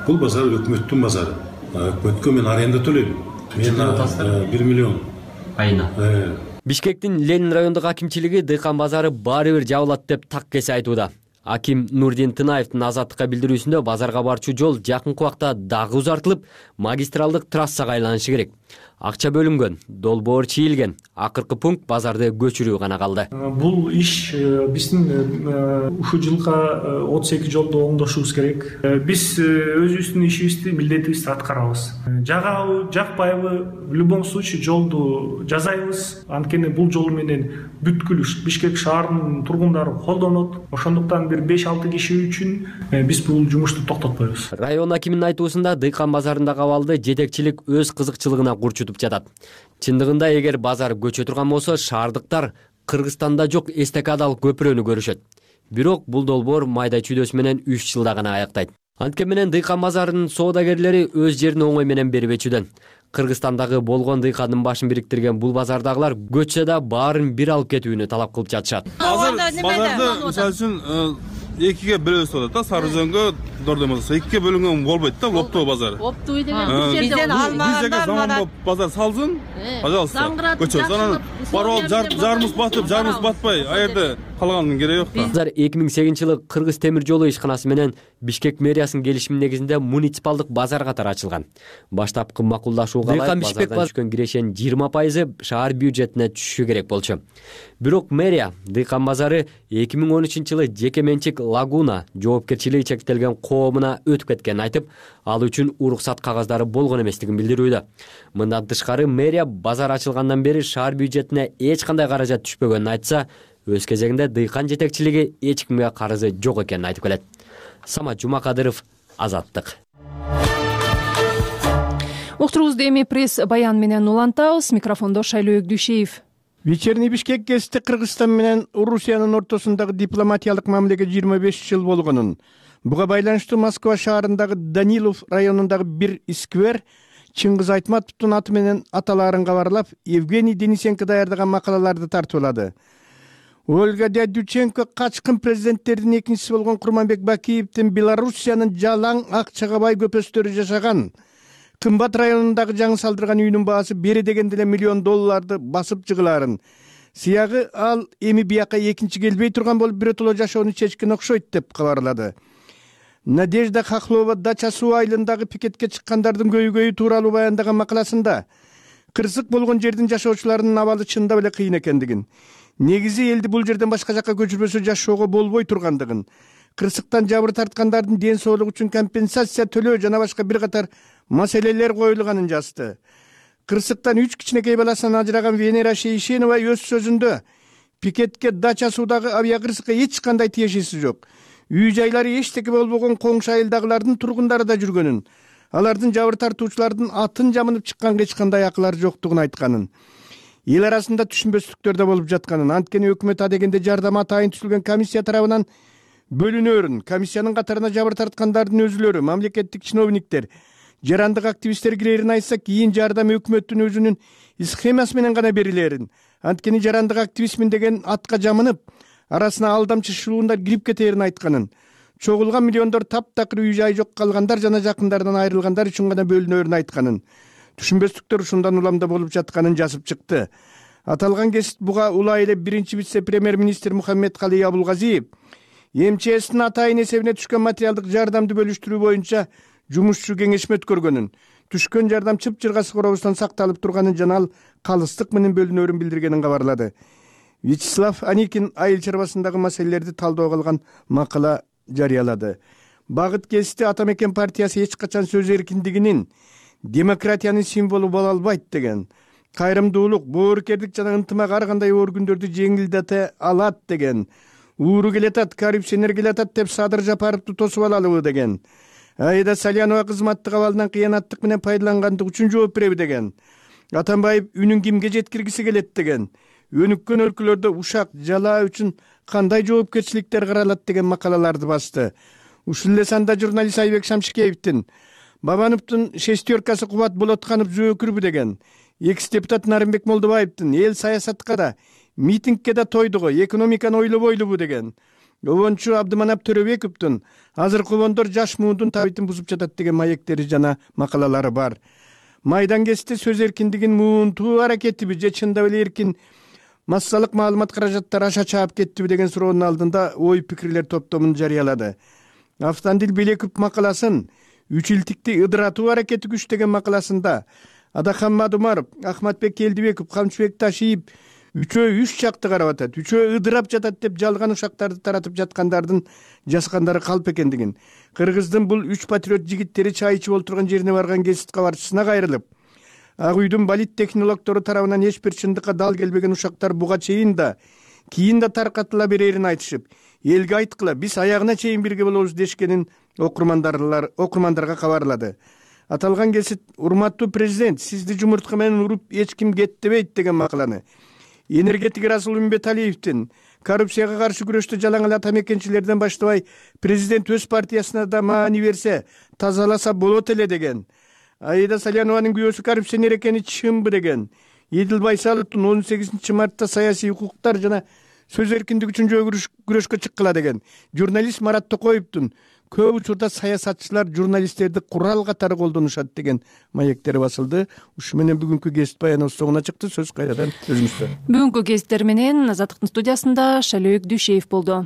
Бул базар өкмөттүн базары. Өкмөткө мен аренда төлөйм. Мен бир миллион айына. Бишкектин Ленин райондук акимчилиги Дыйкан базары баары бир жабылат деп так кесе айтууда. Аким Нурдин Тынаевдин Азаттыкка билдирүүсүндө базарга барчу жол жакынкы убакта дагы узартылып, магистралдык трассага айланышы керек. Акча бөлүнгөн, долбоор чийилген. Акыркы пункт базарды көчүрүү гана калды. Бул иш биздин ушул жылга отуз эки жолду оңдошубуз керек. Биз өзүбүздүн ишибизди, милдетибизди аткарабыз. Жагабы, жакпайбы, в любом случае жолду жасайбыз. Анткени бул жол менен бүткүл Бишкек шаарынын тургундары колдонот. Ошондуктан бир беш алты киши үчүн биз бул жумушту токтотпойбуз. Район акиминин айтуусунда Дыйкан базарындагы абалды жетекчилик өз кызыкчылыгына курчутуп жатат. Чындыгында эгер базар көчө турган болсо, шаардыктар Кыргызстанда жок эстакадалык көпүрөнү көрүшөт. Бирок бул долбоор майда чүйдөсү менен үч жылда гана аяктайт. Анткени менен Дыйкан базарынын соодагерлери өз жерин оңой менен берип өчүдөн. Кыргызстандагы болгон Дыйкандын башын бириктирген бул базардагылар көчсө да баарын бир алып кетүүнү талап кылып жатышат. Азыр базарды мисалы үчүн экиге бөлөбүз деп атат да, Сарыөзөнгө Дордемозго экиге бөлүнгөн болбойт да, Оптоо базары. Оптоо деген бир жерден алмагандар мана базар салсын, пожалуйста, көчөбүз. Анан барып жарымыз батып, жарымыз батпай, а жерде калганынын кереги жок да. Базар эки миң сегизинчи жылы Кыргыз темир жолу ишканасы менен Бишкек мэриясынын келишими негизинде муниципалдык базар катары ачылган. Баштапкы макулдашууга ылайык базардан түшкөн кирешенин жыйырма пайызы шаар бюджетине түшүшү керек болчу. Бирок мэрия Дыйкан базары эки миң он үчүнчү жылы жеке менчик Лагуна жоопкерчилиги чектелген коомуна өтүп кеткенин айтып, ал үчүн уруксат кагаздары болгон эместигин билдирүүдө. Мындан тышкары мэрия базар ачылгандан бери шаар бюджетине эч кандай каражат түшпөгөнүн айтса, өз кезегинде Дыйкан жетекчилиги эч кимге карызы жок экенин айтып келет. Самат Жумакадыров, Азаттык. Уктуруубузду эми пресс баян менен улантабыз. Микрофондо Шайлоо Өгдүшеев. Вечерний Бишкек гезити Кыргызстан менен Орусиянын ортосундагы дипломатиялык мамилеге жыйырма беш жыл болгонун, буга байланыштуу Москва шаарындагы Данилов районундагы бир сквер Чыңгыз Айтматовдун аты менен аталаарын кабарлап, Евгений Денисенко даярдаган макалаларды тартуулады. Ольга Дядюченко качкын президенттердин экинчиси болгон Курманбек Бакиевдин Белоруссиянын жалаң акчага бай көпөстөрү жашаган Кымбат районундагы жаңы салдырган үйүнүн баасы бери дегенде эле миллион долларды басып жыгылаарын, сыягы ал эми бияка экинчи келбей турган болуп биротоло жашоону чечкен окшойт деп кабарлады. Надежда Хохлова Дача суу айылындагы пикетке чыккандардын көйгөйү тууралуу баяндаган макаласында кырсык болгон жердин жашоочуларынын абалы чындап эле кыйын экендигин, негизи элди бул жерден башка жакка көчүрбөсө жашоого болбой тургандыгын, кырсыктан жабыр тарткандардын ден соолугу үчүн компенсация төлөө жана башка бир катар маселелер коюлганын жазды. Кырсыктан үч кичинекей баласынан ажыраган Венера Шейшенова өз сөзүндө пикетке Дача суудагы авиакырсыкка эч кандай тиешеси жок. Үй жайлары эчтеке болбогон коңшу айылдагылардын тургундары да жүргөнүн, алардын жабыр тартуучулардын атын жамынып чыкканга эч кандай акылары жоктугун айтканын, эл арасында түшүнбөстүктөр да болуп жатканын, анткени өкмөт адегенде жардам атайын түзүлгөн комиссия тарабынан бөлүнөрүн, комиссиянын катарына жабыр тарткандардын өзүлөрү, мамлекеттик чиновниктер, жарандык активисттер кирерин айтса, кийин жардам өкмөттүн өзүнүн схемасы менен гана берилерин, анткени жарандык активистмин деген атка жамынып, арасына алдамчы шылуундар кирип кетерин айтканын, чогулган миллиондор таптакыр үй жай жок калгандар жана жакындарынан айрылгандар үчүн гана бөлүнөрүн айтканын, түшүнбөстүктөр ушундан уламда болуп жатканын жазып чыкты. Аталган кесип буга улай эле биринчи вице-премьер-министр Мухаммедкалый Абулгазиев МЧСтин атайын эсебине түшкөн материалдык жардамды бөлүштүрүү боюнча жумушчу кеңешме өткөргөнүн, түшкөн жардам чып-чыргасы коробустан сакталып турганын жана ал калыстык менен бөлүнөрүн билдиргенин кабарлады. Вячеслав Аникин айыл чарбасындагы маселелерди талдоого алган макала жарыялады. Багыт гезити Атамекен партиясы эч качан сөз эркиндигинин, демократиянын символу боло албайт деген, кайрымдуулук, боорукердик жана ынтымак ар кандай оор күндөрдү жеңилдете алат деген, ууру келатат, коррупционер келатат деп Садыр Жапаровду тосуп алалыбы деген, Аида Салянова кызматтык абалынан кыянаттык менен пайдалангандык үчүн жооп береби деген, Атамбаев үнүн кимге жеткиргиси келет деген, өнүккөн өлкөлөрдө ушак жалаа үчүн кандай жоопкерчиликтер каралат деген макалаларды басты. Ушул эле санда журналист Айбек Шамшикеевдин Бабановдун шестеркасы Кубат Болотканов зөөкүрбү деген, экс депутат Нарымбек Молдобаевдин эл саясатка да, митингке да тойдуго, экономиканы ойлобойлубу деген, обончу Абдыманап Төрөбековдун азыркы обондор жаш муундун табитин бузуп жатат деген маектери жана макалалары бар. Майдан кести сөз эркиндигин муунтуу аракетиби же чындап эле эркин массалык маалымат каражаттары аша чаап кеттиби деген суроонун алдында ой пикирлер топтомун жарыялады. Автандил Белеков макаласын үч илтикти ыдыратуу аракети күч деген макаласында Адахан Мадумаров, Ахматбек Келдибеков, Камчыбек Ташиев үчөө үч жакты карап атат, үчөө ыдырап жатат деп жалган ушактарды таратып жаткандардын жазгандары калп экендигин, Кыргыздын бул үч патриот жигиттери чай ичип олтурган жерине барган гезит кабарчысына кайрылып, Ак үйдүн болит технологдору тарабынан эч бир чындыкка дал келбеген ушактар буга чейин да, кийин да таркатыла берерин айтышып, элге айткыла, биз аягына чейин бирге болобуз дешкенин окурмандарлар окурмандарга кабарлады. Аталган кесип урматтуу президент, сизди жумуртка менен уруп эч ким кеттебейт деген макаланы, энергетик Расул Үмбеталиевдин коррупцияга каршы күрөштө жалаң эле атамекенчилерден баштабай президент өз партиясына да маани берсе, тазаласа болот эле деген, Аида Салянованын күйөөсү коррупционер экени чынбы деген, Едил Байсаловдун он сегизинчи мартта саясий укуктар жана сөз эркиндиги үчүн жөө күрөшкө чыккыла деген, журналист Марат Токоевдун көп учурда саясатчылар журналисттерди курал катары колдонушат деген маектер басылды. Ушу менен бүгүнкү кесип баяныбыз соңуна чыкты. Сөз кайрадан өзүңүздө. Бүгүнкү кесиптер менен Азаттыктын студиясында Шалөөк Дүйшеев болду.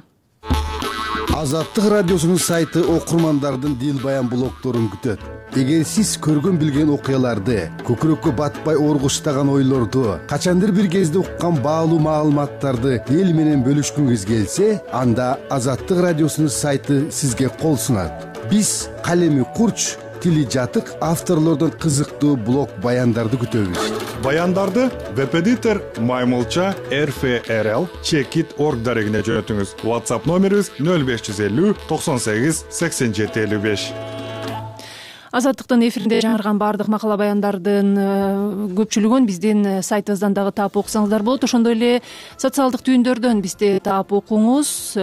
Азаттык радиосунун сайты окурмандардын дил баян блогдорун күтөт. Эгер сиз көргөн билген окуяларды, көкүрөккө батпай оргуштаган ойлорду, качандыр бир кезде уккан баалуу маалыматтарды эл менен бөлүшкүңүз келсе, анда Азаттык радиосунун сайты сизге кол сунат. Биз калеми курч, тили жатык авторлордон кызыктуу блог баяндарды күтөбүз. Баяндарды веб-эдитор Маймылча эр эф эр эл чекит точка орг дарегине жөнөтүңүз. WhatsApp номерибиз нөл беш жүз элүү токсон сегиз сексен жети элүү беш. Азаттыктын эфиринде жаңырган баардык макала баяндардын көпчүлүгүн биздин сайтыбыздан дагы таап окусаңыздар болот. Ошондой эле социалдык түйүндөрдөн бизди таап окуңуз.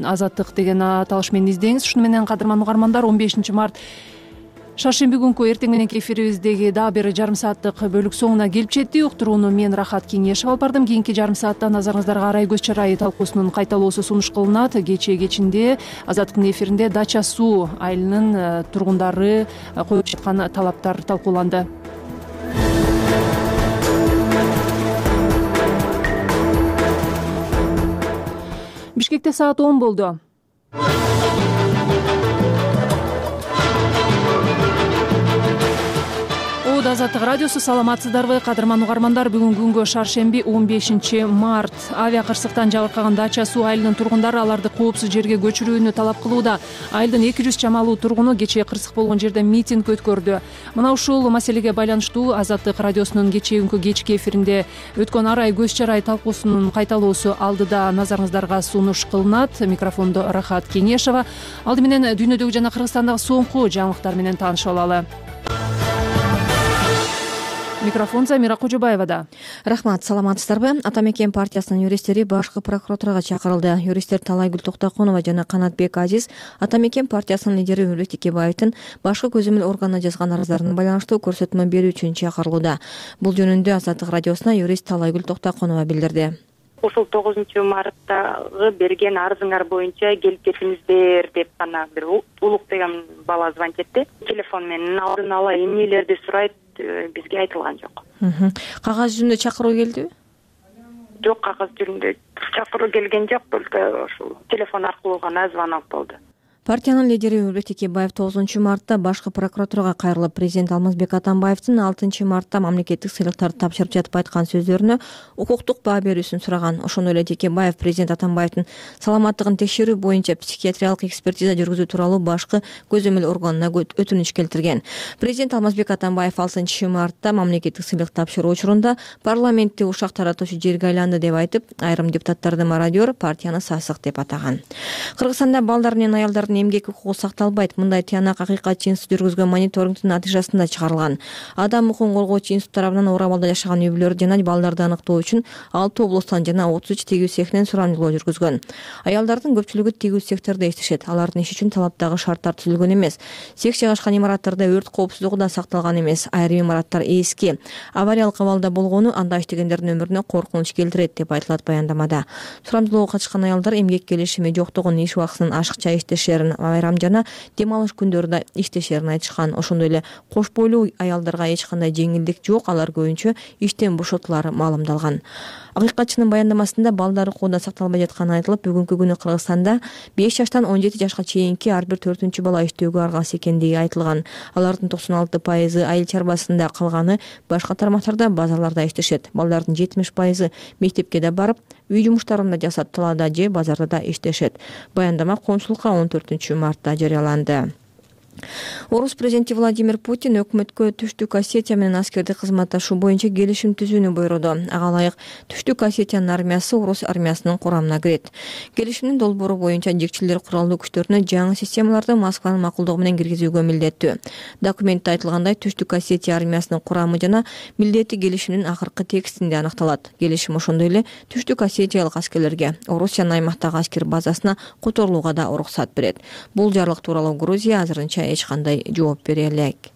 Азаттык деген аталыш менен издеңиз. Ушуну менен кадырман угармандар, он бешинчи март шаршемби күнкү эртең мененки эфирибиздеги дагы бир жарым сааттык бөлүк соңуна келип жетти. Уктурууну мен Рахат Кеңешева алып бардым. Кийинки жарым саатта назарыңыздарга Арай көз чарайы талкуусунун кайталоосу сунуш кылынат. Кечээ кечинде Азаттыктын эфиринде Дача суу айылынын тургундары коюп жаткан талаптар талкууланды. Бишкекте саат он болду. Азаттык радиосу, саламатсыздарбы кадырман угармандар? Бүгүнкү күнгө шаршемби он бешинчи март. Авиа кырсыктан жабыркаган Дача суу айылынын тургундары аларды коопсуз жерге көчүрүүнү талап кылууда. Айылдын эки жүз чамалуу тургуну кечээ кырсык болгон жерде митинг өткөрдү. Мына ушул маселеге байланыштуу Азаттык радиосунун кечээ күнкү кечки эфиринде өткөн Арай көз чарай талкуусунун кайталоосу алдыда назарыңыздарга сунуш кылынат. Микрофондо Рахат Кеңешева. Алды менен дүйнөдөгү жана Кыргызстандагы соңку жаңылыктар менен таанышып алалы. Микрофон Замира Кожобаевада. Рахмат, саламатсыздарбы? Ата мекен партиясынын юристтери башкы прокуратурага чакырылды. Юристтер Талайгүл Токтоконова жана Канатбек Азиз Ата мекен партиясынын лидери Өмүрбек Текебаевдин башкы көзөмөл органына жазган арыздарына байланыштуу көрсөтмө берүү үчүн чакырылууда. Бул жөнүндө Азаттык радиосуна юрист Талайгүл Токтоконова билдирди. Ушул тогузунчу марттагы берген арызыңар боюнча келип кетиңиздер деп гана бир Улук деген бала звонить этти. Телефон менен алдын ала эмнелерди сурайт, бизге айтылган жок. Кагаз жүзүндө чакыруу келдиби? Жок, кагаз жүзүндө чакыруу келген жок, только ушул телефон аркылуу гана звонок болду. Партиянын лидери Өмүрбек Текебаев тогузунчу мартта башкы прокуратурага кайрылып, президент Алмазбек Атамбаевдин алтынчы мартта мамлекеттик сыйлыктарды тапшырып жатып айткан сөздөрүнө укуктук баа берүүсүн сураган. Ошондой эле Текебаев президент Атамбаевдин саламаттыгын текшерүү боюнча психиатриялык экспертиза жүргүзүү тууралуу башкы көзөмөл органына өтүнүч келтирген. Президент Алмазбек Атамбаев алтынчы мартта мамлекеттик сыйлык тапшыруу учурунда парламентти ушак таратуучу жерге айланды деп айтып, айрым депутаттарды мародер, партияны сасык деп атаган. Кыргызстанда балдар менен аялдардын эмгек укугу сакталбайт. Мындай тыянак Акыйкатчы институт жүргүзгөн мониторингдин натыйжасында чыгарылган. Адам укугун коргоочу институт тарабынан оор абалда жашаган үй бүлөлөр жана балдарды аныктоо үчүн алты облустан жана отуз үч тигүү цехинен сурамжылоо жүргүзгөн. Аялдардын көпчүлүгү тигүү цехтерде иштешет. Алардын иши үчүн талаптагы шарттар түзүлгөн эмес. Цех жайгашкан имараттарда өрт коопсуздугу да сакталган эмес. Айрым имараттар эски. Авариялык абалда болгону анда иштегендердин өмүрүнө коркунуч келтирет деп айтылат баяндамада. Сурамжылоого катышкан аялдар эмгек келишими жоктугун, иш убактысынын ашыкча иштешерин, айрам жана дем алыш күндөрүндө иштешерин айтышкан. Ошондой эле кош бойлуу аялдарга эч кандай жеңилдик жок, алар көбүнчө иштен бошотулары маалымдалган. Акыйкатчынын баяндамасында балдар укууда сакталбай жатканы айтылып, бүгүнкү күнү Кыргызстанда беш жаштан он жети жашка чейинки ар бир төртүнчү бала иштөөгө аргасыз экендиги айтылган. Алардын токсон алты пайызы айыл чарбасында, калганы башка тармактарда, базарларда иштешет. Балдардын жетимиш пайызы мектепке да барып, үй жумуштарын да жасап, талаада же базарда да иштешет. Баяндама коомчулукка он төртүнчү мартта жарыяланды. Орус президенти Владимир Путин өкмөткө Түштүк Осетия менен аскердик кызматташуу боюнча келишим түзүүнү буйруду. Ага ылайык Түштүк Осетиянын армиясы Орус армиясынын курамына кирет. Келишимдин долбоору боюнча жекчилер куралдуу күчтөрүнө жаңы системаларды Москванын макулдугу менен киргизүүгө милдеттүү. Документте айтылгандай, Түштүк Осетия армиясынын курамы жана милдети келишимдин акыркы текстинде аныкталат. Келишим ошондой эле Түштүк Осетиялык аскерлерге Орусиянын аймактагы аскер базасына которулууга да уруксат берет. Бул жарлык тууралуу Грузия азырынча эч кандай жооп бере элек.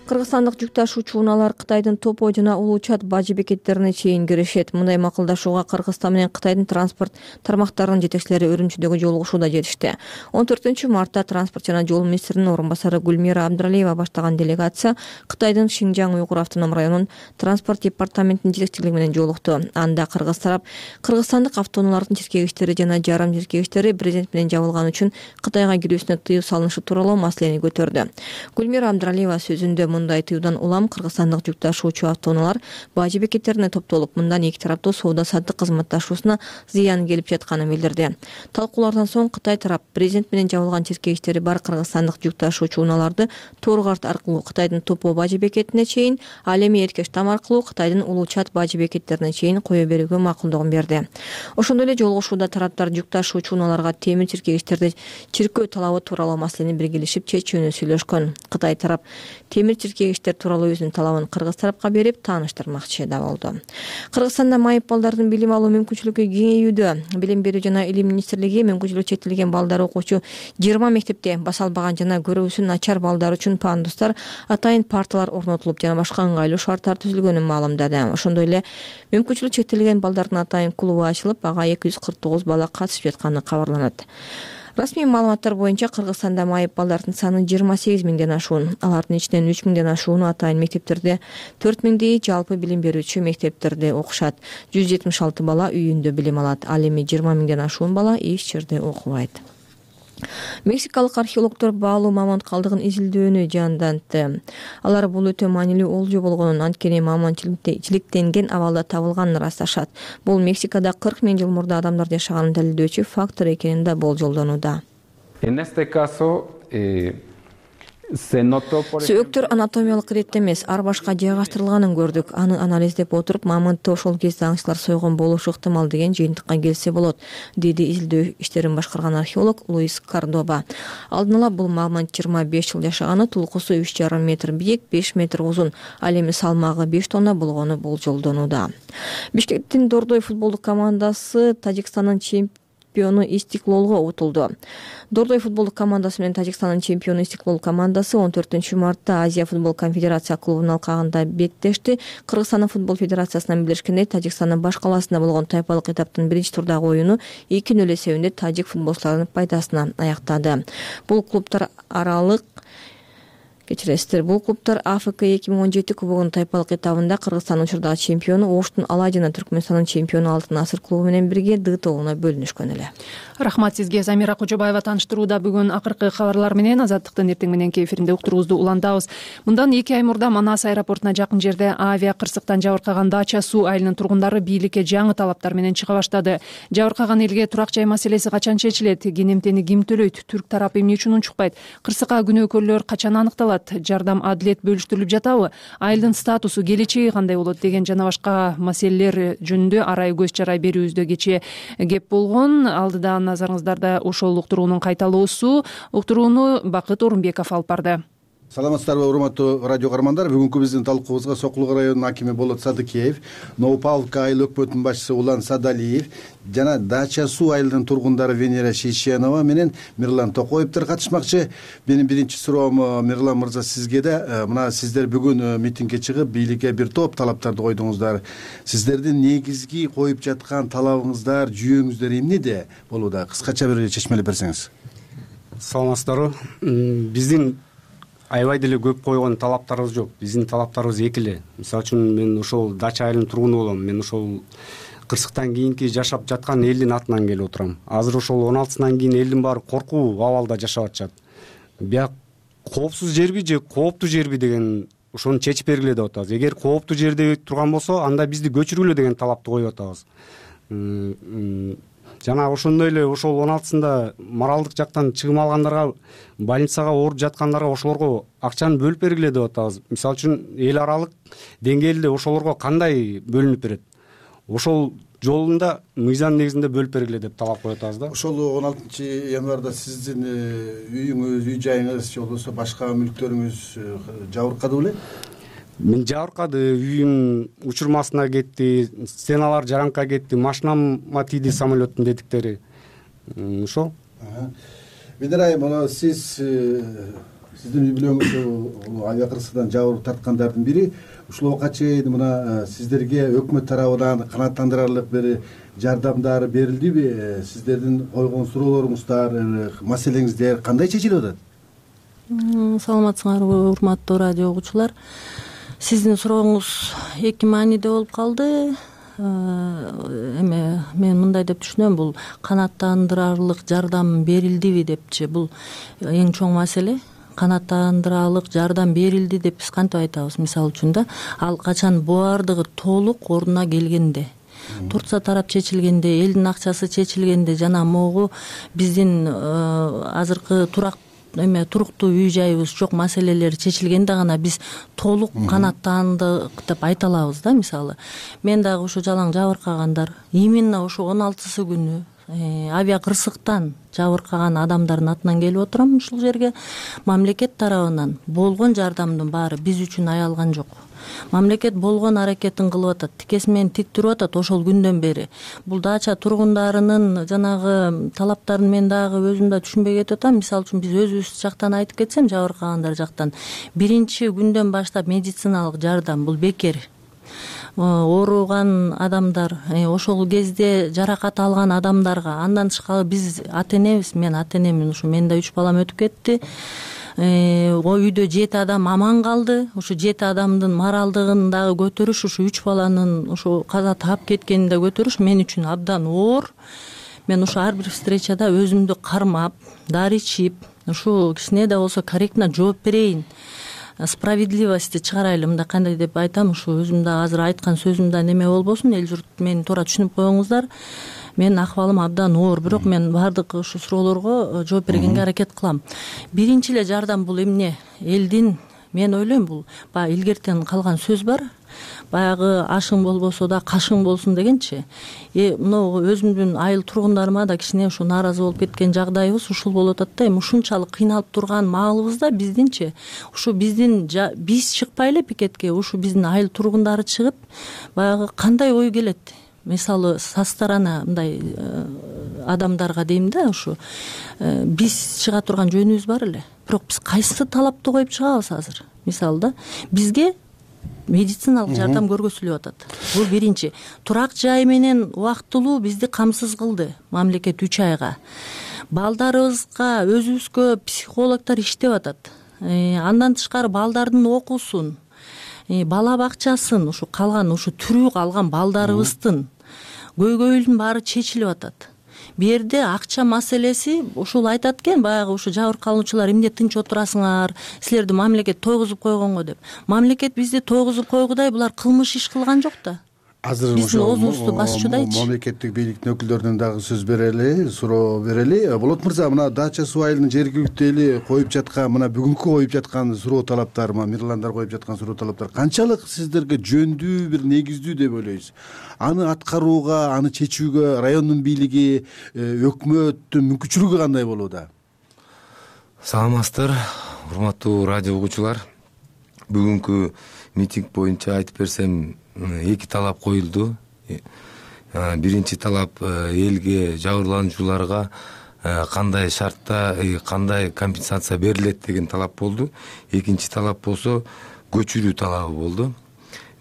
Кыргызстандык жүк ташуучу унаалар Кытайдын Топо жана Улуу Чат бажы бекеттерине чейин киришет. Мындай макулдашууга Кыргызстан менен Кытайдын транспорт тармактарынын жетекчилери Үрүмчүдөгү жолугушууда жетишти. он төртүнчү мартта транспорт жана жол министринин орун басары Гүлмира Абдралиева баштаган делегация Кытайдын Шинжаң Уйгур автоном районунун транспорт департаментинин жетекчилиги менен жолукту. Анда кыргыз тарап кыргызстандык автоунаалардын тиркегичтери жана жарым тиркегичтери президент менен жабылган үчүн Кытайга кирүүсүнө тыюу салынышы тууралуу маселени көтөрдү. Гүлмира Абдралиева сөзүндө мындай тыюудан улам кыргызстандык жүк ташуучу автоунаалар бажы бекеттерине топтолуп, мындан эки тараптуу соода саттык кызматташуусуна зыян келип жатканын билдирди. Талкуулардан соң Кытай тарап президент менен жабылган тиркегичтери бар кыргызстандык жүк ташуучу унааларды Торгарт аркылуу Кытайдын Топо бажы бекетине чейин, ал эми Эркештам аркылуу Кытайдын Улуу Чат бажы бекеттерине чейин кое берүүгө макулдугун берди. Ошондой эле жолугушууда тараптар жүк ташуучу унааларга темир тиркегичтерди чиркөө талабы тууралуу маселени биргелешип чечүүнү сүйлөшкөн. Кытай тарап темир тиркегичтер тууралуу өзүнүн талабын кыргыз тарапка берип тааныштырмакчы да болду. Кыргызстанда майып балдардын билим алуу мүмкүнчүлүгү кеңейүүдө. Билим берүү жана илим министрлиги мүмкүнчүлүгү чектелген балдар окуучу жыйырма мектепте басалбаган жана көрүүсү начар балдар үчүн пандустар, атайын парталар орнотулуп жана башка ыңгайлуу шарттар түзүлгөнүн маалымдады. Ошондой эле мүмкүнчүлүгү чектелген балдардын атайын клубу ачылып, ага эки жүз кырк тогуз бала катышып жатканы кабарланат. Расмий маалыматтар боюнча Кыргызстанда майып балдардын саны жыйырма сегиз миңден ашуун. Алардын ичинен үч миңден ашууну атайын мектептерде, төрт миңдейи жалпы билим берүүчү мектептерде окушат. жүз жетимиш алты бала үйүндө билим алат. Ал эми жыйырма миңден ашуун бала иш жерде окубайт. Мексикалык археологдор баалуу мамонт калдыгын изилдөөнү жандантты. Алар бул өтө маанилүү олжо болгонун, анткени мамонт жиликтенген абалда табылганын ырасташат. Бул Мексикада кырк миң жыл мурда адамдар жашаганын далилдөөчү фактор экенин да болжолдонууда. Сөөктөр анатомиялык иретте эмес, ар башка жайгаштырылганын көрдүк. Аны анализдеп отуруп, мамонтты ошол кезде аңчылар сойгон болушу ыктымал деген жыйынтыкка келсе болот, деди изилдөө иштерин башкарган археолог Луис Кордоба. Алдын ала бул мамонт жыйырма беш жыл жашаганы, тулкусу үч жарым метр бийик, беш метр узун, ал эми салмагы беш тонна болгону болжолдонууда. Бишкектин Дордой футболдук командасы Тажикстандын чемпиону чемпиону Истиклолго утулду. Дордой футболдук командасы менен Тажикстандын чемпиону Истиклол командасы он төртүнчү мартта Азия футбол конфедерация клубунун алкагында беттешти. Кыргызстандын футбол федерациясынан билдиришкендей, Тажикстандын баш калаасында болгон тайпалык этаптын биринчи турдагы оюну эки нөл эсебинде тажик футболчуларынын пайдасына аяктады. Бул клубтар аралык Кечиресиздер, бул клубтар АФК эки миң он жети кубогунун тайпалык этабында Кыргызстандын учурдагы чемпиону Оштун Алай жана Түркмөнстандын чемпиону Алтын Асыр клубу менен бирге Д тобуна бөлүнүшкөн эле. Рахмат сизге, Замира Кожобаева. Тааныштырууда бүгүн акыркы кабарлар менен Азаттыктын эртең мененки эфиринде уктуруубузду улантабыз. Мындан эки ай мурда Манас аэропортуна жакын жерде авиа кырсыктан жабыркаган Дача суу айылынын тургундары бийликке жаңы талаптар менен чыга баштады. Жабыркаган элге турак жай маселеси качан чечилет? Кенемтени ким төлөйт? Түрк тарапы эмне үчүн унчукпайт? Кырсыкка күнөөкөрлөр качан аныкталат? Жардам адилет бөлүштүрүлүп жатабы? Айылдын статусу, келечеги кандай болот деген жана башка маселелер жөнүндө арай көз чарай берүүбүздө кечээ кеп болгон. Алдыда назарыңыздарда ошол уктуруунун кайталоосу. Уктурууну Бакыт Орунбеков алып барды. Саламатсыздарбы, урматтуу радио каармандар. Бүгүнкү биздин талкуубузга Сокулук районунун акими Болот Садыкеев, Новопавловка айыл өкмөтүнүн башчысы Улан Садалиев жана Дача суу айылынын тургундары Венера Шейшенова менен Мирлан Токоевдер катышмакчы. Менин биринчи суроом, Мирлан мырза, сизге да. Мына сиздер бүгүн митингге чыгып, бийликке бир топ талаптарды койдуңуздар. Сиздердин негизги коюп жаткан талабыңыздар, жүйөңүздөр эмнеде болууда? Кыскача бир чечмелеп берсеңиз. Саламатсыздарбы. Биздин аябай деле көп койгон талаптарыбыз жок. Биздин талаптарыбыз эки эле. Мисалы үчүн мен ошол Дача айылынын тургуну болом. Мен ошол кырсыктан кийинки жашап жаткан элдин атынан келип отурам. Азыр ошол он алтысынан кийин элдин баары коркуу абалда жашап атышат. Бияк коопсуз жерби же кооптуу жерби деген ошону чечип бергиле деп атабыз. Эгер кооптуу жерде турган болсо, анда бизди көчүргүлө деген талапты коюп атабыз. Жана ошондой эле ошол он алтысында моралдык жактан чыгым алгандарга, больницага ооруп жаткандарга ошолорго акчаны бөлүп бергиле деп атабыз. Мисалы үчүн эл аралык деңгээлде ошолорго кандай бөлүнүп берет? Ошол жолунда мыйзам негизинде бөлүп бергиле деп талап коюп атабыз да. Ошол он алтынчы январда сиздин үйүңүз, үй жайыңыз же болбосо башка мүлктөрүңүз жабыркады беле? Мен жабыркады, үйүм учурмасына кетти, стеналар жараңка кетти, машинама тийди самолеттин тетиктери. Ошол. Бедер айым, сиз сиздин үй бүлөңүз авиа кырсыктан жабыр тарткандардын бири. Ушул убакка чейин мына сиздерге өкмөт тарабынан канааттандырарлык бир жардамдар берилдиби? Сиздердин койгон суроолоруңуздар, маселеңиздер кандай чечилип атат? Саламатсыңарбы, урматтуу радио угуучулар. Сиздин сурооңуз эки мааниде болуп калды. Эме мен мындай деп түшүнөм, бул канааттандырарлык жардам берилдиби депчи. Бул эң чоң маселе. Канааттандырарлык жардам берилди деп биз кантип айтабыз? Мисалы үчүн да, ал качан баардыгы толук ордуна келгенде, Турция тарап чечилгенде, элдин акчасы чечилгенде жана могу биздин азыркы турак эме туруктуу үй жайыбыз жок маселелер чечилгенде гана биз толук канааттандык деп айта алабыз да. Мисалы мен дагы ушу жалаң жабыркагандар именно ушу он алтысы күнү авиа кырсыктан жабыркаган адамдардын атынан келип отурам ушул жерге. Мамлекет тарабынан болгон жардамдын баары биз үчүн аялган жок. Мамлекет болгон аракетин кылып атат, тикеси менен тик туруп атат ошол күндөн бери. Бул дача тургундарынын жанагы талаптарын мен дагы өзүм да түшүнбөй кетип атам. Мисалы үчүн биз өзүбүз жактан айтып кетсем, жабыркагандар жактан биринчи күндөн баштап медициналык жардам бул бекер. Ооруган адамдар, ошол кезде жаракат алган адамдарга, андан тышкары биз ата энебиз, мен ата энемин, ушу менин да үч балам өтүп кетти. Үйдө жети адам аман калды. Ушу жети адамдын моралдыгын дагы көтөрүш, ушу үч баланын ушу каза таап кеткенин да көтөрүш мен үчүн абдан оор. Мен ушу ар бир встречада өзүмдү кармап, дары ичип, ушу кичине да болсо корректно жооп берейин, справедливости чыгарайлы. Мындай кандай деп айтам, ушу өзүм да азыр айткан сөзүм да неме болбосун, эл журт мени туура түшүнүп койгоңуздар. Менин акыбалым абдан оор, бирок мен баардык ушу суроолорго жооп бергенге аракет кылам. Биринчи эле жардам бул эмне? Элдин, мен ойлойм, бул баягы илгертен калган сөз бар. Баягы ашың болбосо да кашың болсун дегенчи. Э мына өзүмдүн айыл тургундарыма да кичине ушу нааразы болуп кеткен жагдайыбыз ушул болуп атат да. Эми ушунчалык кыйналып турган маалыбызда биздинчи, ушу биздин биз чыкпай эле пикетке, ушу биздин айыл тургундары чыгып, баягы кандай ой келет? Мисалы со стороны мындай адамдарга дейм да, ушу биз чыга турган жөнүбүз бар эле. Бирок биз кайсы талапты коюп чыгабыз азыр? Мисалы да бизге медициналык жардам көргөзүлүп атат. Бул биринчи. Турак жай менен убактылуу бизди камсыз кылды мамлекет үч айга. Балдарыбызга, өзүбүзгө психологдор иштеп атат. Андан тышкары балдардын окуусун, бала бакчасын, ушу калган ушу тирүү калган балдарыбыздын көйгөйүнүн баары чечилип атат. Бу жерде акча маселеси ушул айтат экен, баягы ушу жабыркалуучулар эмне тынч отурасыңар, силерди мамлекет тойгузуп койгонго деп. Мамлекет бизди тойгузуп койгудай булар кылмыш иш кылган жок да. Азыр биздин оозубузду басчудайчы. Мамлекеттик бийликтин өкүлдөрүнөн дагы сөз берели, суроо берели. Болот мырза, мына Дача суу айылынын жергиликтүү эли коюп жаткан, мына бүгүнкү коюп жаткан суроо талаптар, мирландар коюп жаткан суроо талаптар канчалык сиздерге жөндүү, бир негиздүү деп ойлойсуз? Аны аткарууга, аны чечүүгө райондун бийлиги, өкмөттүн мүмкүнчүлүгү кандай болууда? Саламатсыздар, урматтуу радио угуучулар. Бүгүнкү митинг боюнча айтып берсем, эки талап коюлду. Биринчи талап элге, жабырлануучуларга кандай шартта, кандай компенсация берилет деген талап болду. Экинчи талап болсо көчүрүү талабы болду.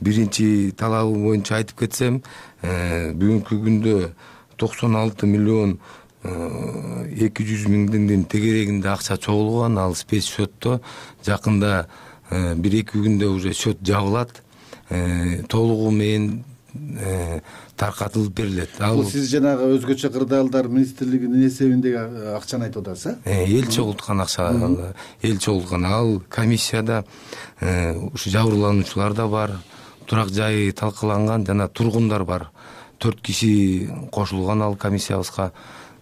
Биринчи талабы боюнча айтып кетсем, бүгүнкү күндө токсон алты миллион эки жүз миңдин тегерегинде акча чогулган, ал спец счетто. Жакында бир эки күндө уже счет жабылат, толугу менен таркатылып берилет. Бул сиз жанагы өзгөчө кырдаалдар министрлигинин эсебиндеги акчаны айтып атасыз, э? Эл чогулткан акча, эл чогулткан. Ал комиссияда ушу жабырлануучулар да бар, турак жайы талкаланган жана тургундар бар. Төрт киши кошулган ал комиссиябызга.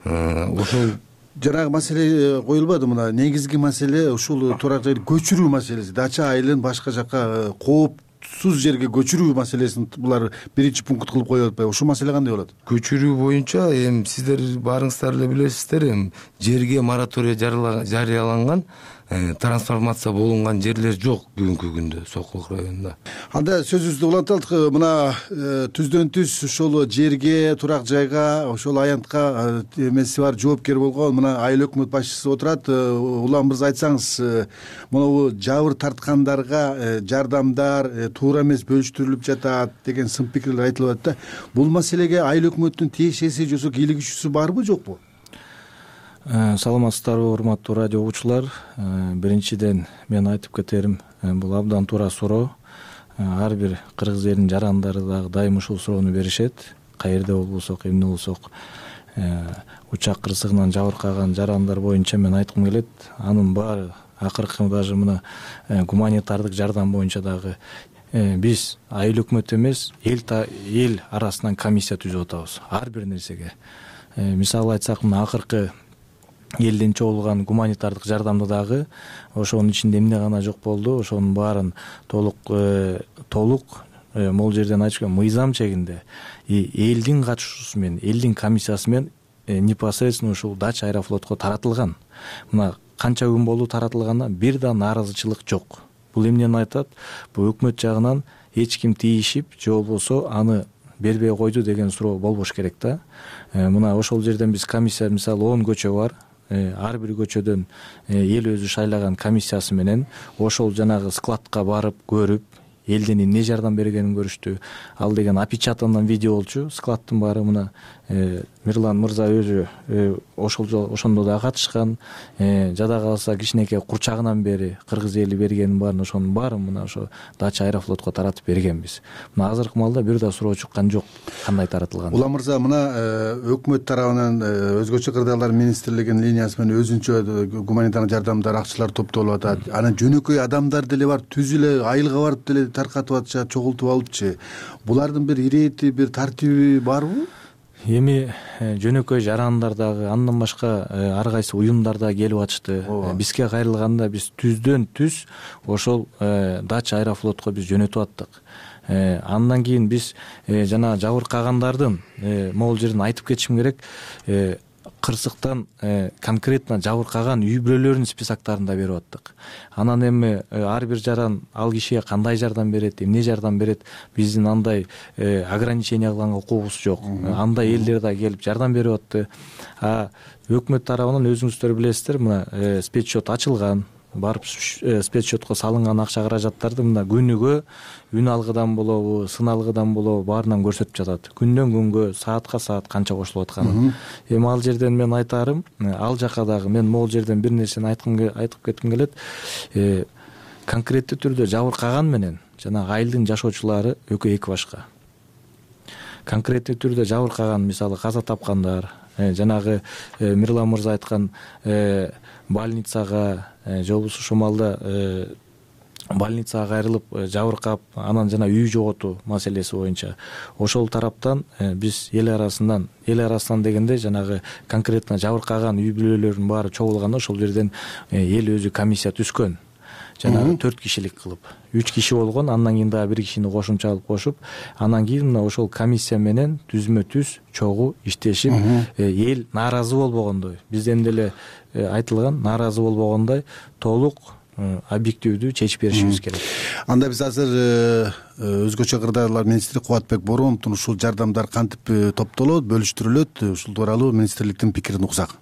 Ошол жанагы маселе коюлбады. Мына негизги маселе ушул турак жайды көчүрүү маселеси. Дача айылын башка жакка коопсуз жерге көчүрүү маселесин булар биринчи пункт кылып коюп атпайбы? Ушул маселе кандай болот? Көчүрүү боюнча эми сиздер баарыңыздар эле билесиздер, эми жерге мораторий жарыяланган. трансформация болгон жерлер жок бүгүнкү күндө Сокулук районунда. Анда сөзүбүздү уланталык. Мына түздөн түз ушул жерге, турак жайга, ошол аянтка эмеси бар, жоопкер болгон мына айыл өкмөт башчысы отурат. Улам мырза, айтсаңыз, могу жабыр тарткандарга жардамдар туура эмес бөлүштүрүлүп жатат деген сын пикирлер айтылып атат да. Бул маселеге айыл өкмөттүн тиешеси же бийлик күчүсү барбы, жокпу? Саламатсыздарбы, урматтуу радио угуучулар. Биринчиден мен айтып кетерим, бул абдан туура суроо. Ар бир кыргыз элинин жарандары дагы дайым ушул суроону беришет. Каерде болбосок, эмне болсок, учак кырсыгынан жабыркаган жарандар боюнча мен айткым келет. Анын баары акыркы даже мына гуманитардык жардам боюнча дагы биз айыл өкмөт эмес, эл эл арасынан комиссия түзүп атабыз ар бир нерсеге. Мисалы айтсак, мына акыркы элден чогулган гуманитардык жардамды дагы ошонун ичинде эмне гана жок болду, ошонун баарын толук толук могул жерден айтышкан мыйзам чегинде элдин катышуусу менен, элдин комиссиясы менен непосредственно ушул Дача аэрофлотко таратылган. Мына канча күн болду таратылганына бир да нааразычылык жок. Бул эмнени айтат? Бул өкмөт жагынан эч ким тийишип, же болбосо аны бербей койду деген суроо болбош керек да. Мына ошол жерден биз комиссия, мисалы он көчө бар. Ар бир көчөдөн эл өзү шайлаган комиссиясы менен ошол жанагы складка барып көрүп, элдин эмне жардам бергенин көрүштү. Ал деген опечатандан видео болчу, складтын баары. Мына Мирлан мырза өзү ошол ошондо да катышкан. Жада калса кичинекей курчагынан бери кыргыз эли бергенин баарын, ошонун баарын мына ошо Дача аэрофлотко таратып бергенбиз. Мына азыркы маалда бир да суроо чыккан жок кандай таратылган. Улам мырза, мына өкмөт тарабынан өзгөчө кырдаалар министрлигинин линиясы менен өзүнчө гуманитардык жардамдар, акчалар топтолуп атат. Анан жөнөкөй адамдар деле бар, түз эле айылга барып деле таркатып атышат, чогултуп алыпчы. Булардын бир ирети, бир тартиби барбы? Эми жөнөкөй жарандар дагы, андан башка ар кайсы уюмдар да келип атышты. Бизге кайрылганда биз түздөн түз ошол Дача аэрофлотко биз жөнөтүп аттык. Андан кийин биз жана жабыркагандардын могул жерден айтып кетишим керек, кырсыктан конкретно жабыркаган үй бүлөлөрүнүн списоктарын да берип аттык. Анан эми ар бир жаран ал кишиге кандай жардам берет, эмне жардам берет, биздин андай ограничение кылган укугубуз жок. Андай элдер да келип жардам берип атты. А өкмөт тарабынан өзүңүздөр билесиздер, мына спецсчет ачылган. Барып спецсчетко салынган акча каражаттарды мына күнүгө үн алгыдан болобу, сын алгыдан болобу баарынан көрсөтүп жатат. Күндөн күнгө, саатка саат канча кошулуп атканын. Эми ал жерден мен айтарым, ал жака дагы мен могул жерден бир нерсени айтып кетким келет. Конкреттүү түрдө жабыркаган менен жана айылдын жашоочулары экөө эки башка. Конкреттүү түрдө жабыркаган, мисалы каза тапкандар, жанагы Мирлан мырза айткан больницага, же болбосо ошол маалда больницага кайрылып жабыркап, анан жана үй жоготуу маселеси боюнча ошол тараптан биз эл арасынан, эл арасынан дегенде жанагы конкретно жабыркаган үй бүлөлөрдүн баары чогулганда ошол жерден эл өзү комиссия түзгөн. Жанагы төрт кишилик кылып, үч киши болгон, андан кийин дагы бир кишини кошумча алып кошуп, анан кийин мына ошол комиссия менен түзмө түз чогуу иштешип, эл нааразы болбогондой, бизден деле айтылган, нааразы болбогондой толук объективдүү чечип беришибиз керек. Анда биз азыр өзгөчө кырдаалар министри Кубатбек Боромовдун ушул жардамдар кантип топтолот, бөлүштүрүлөт, ушул тууралуу министрликтин пикирин уксак.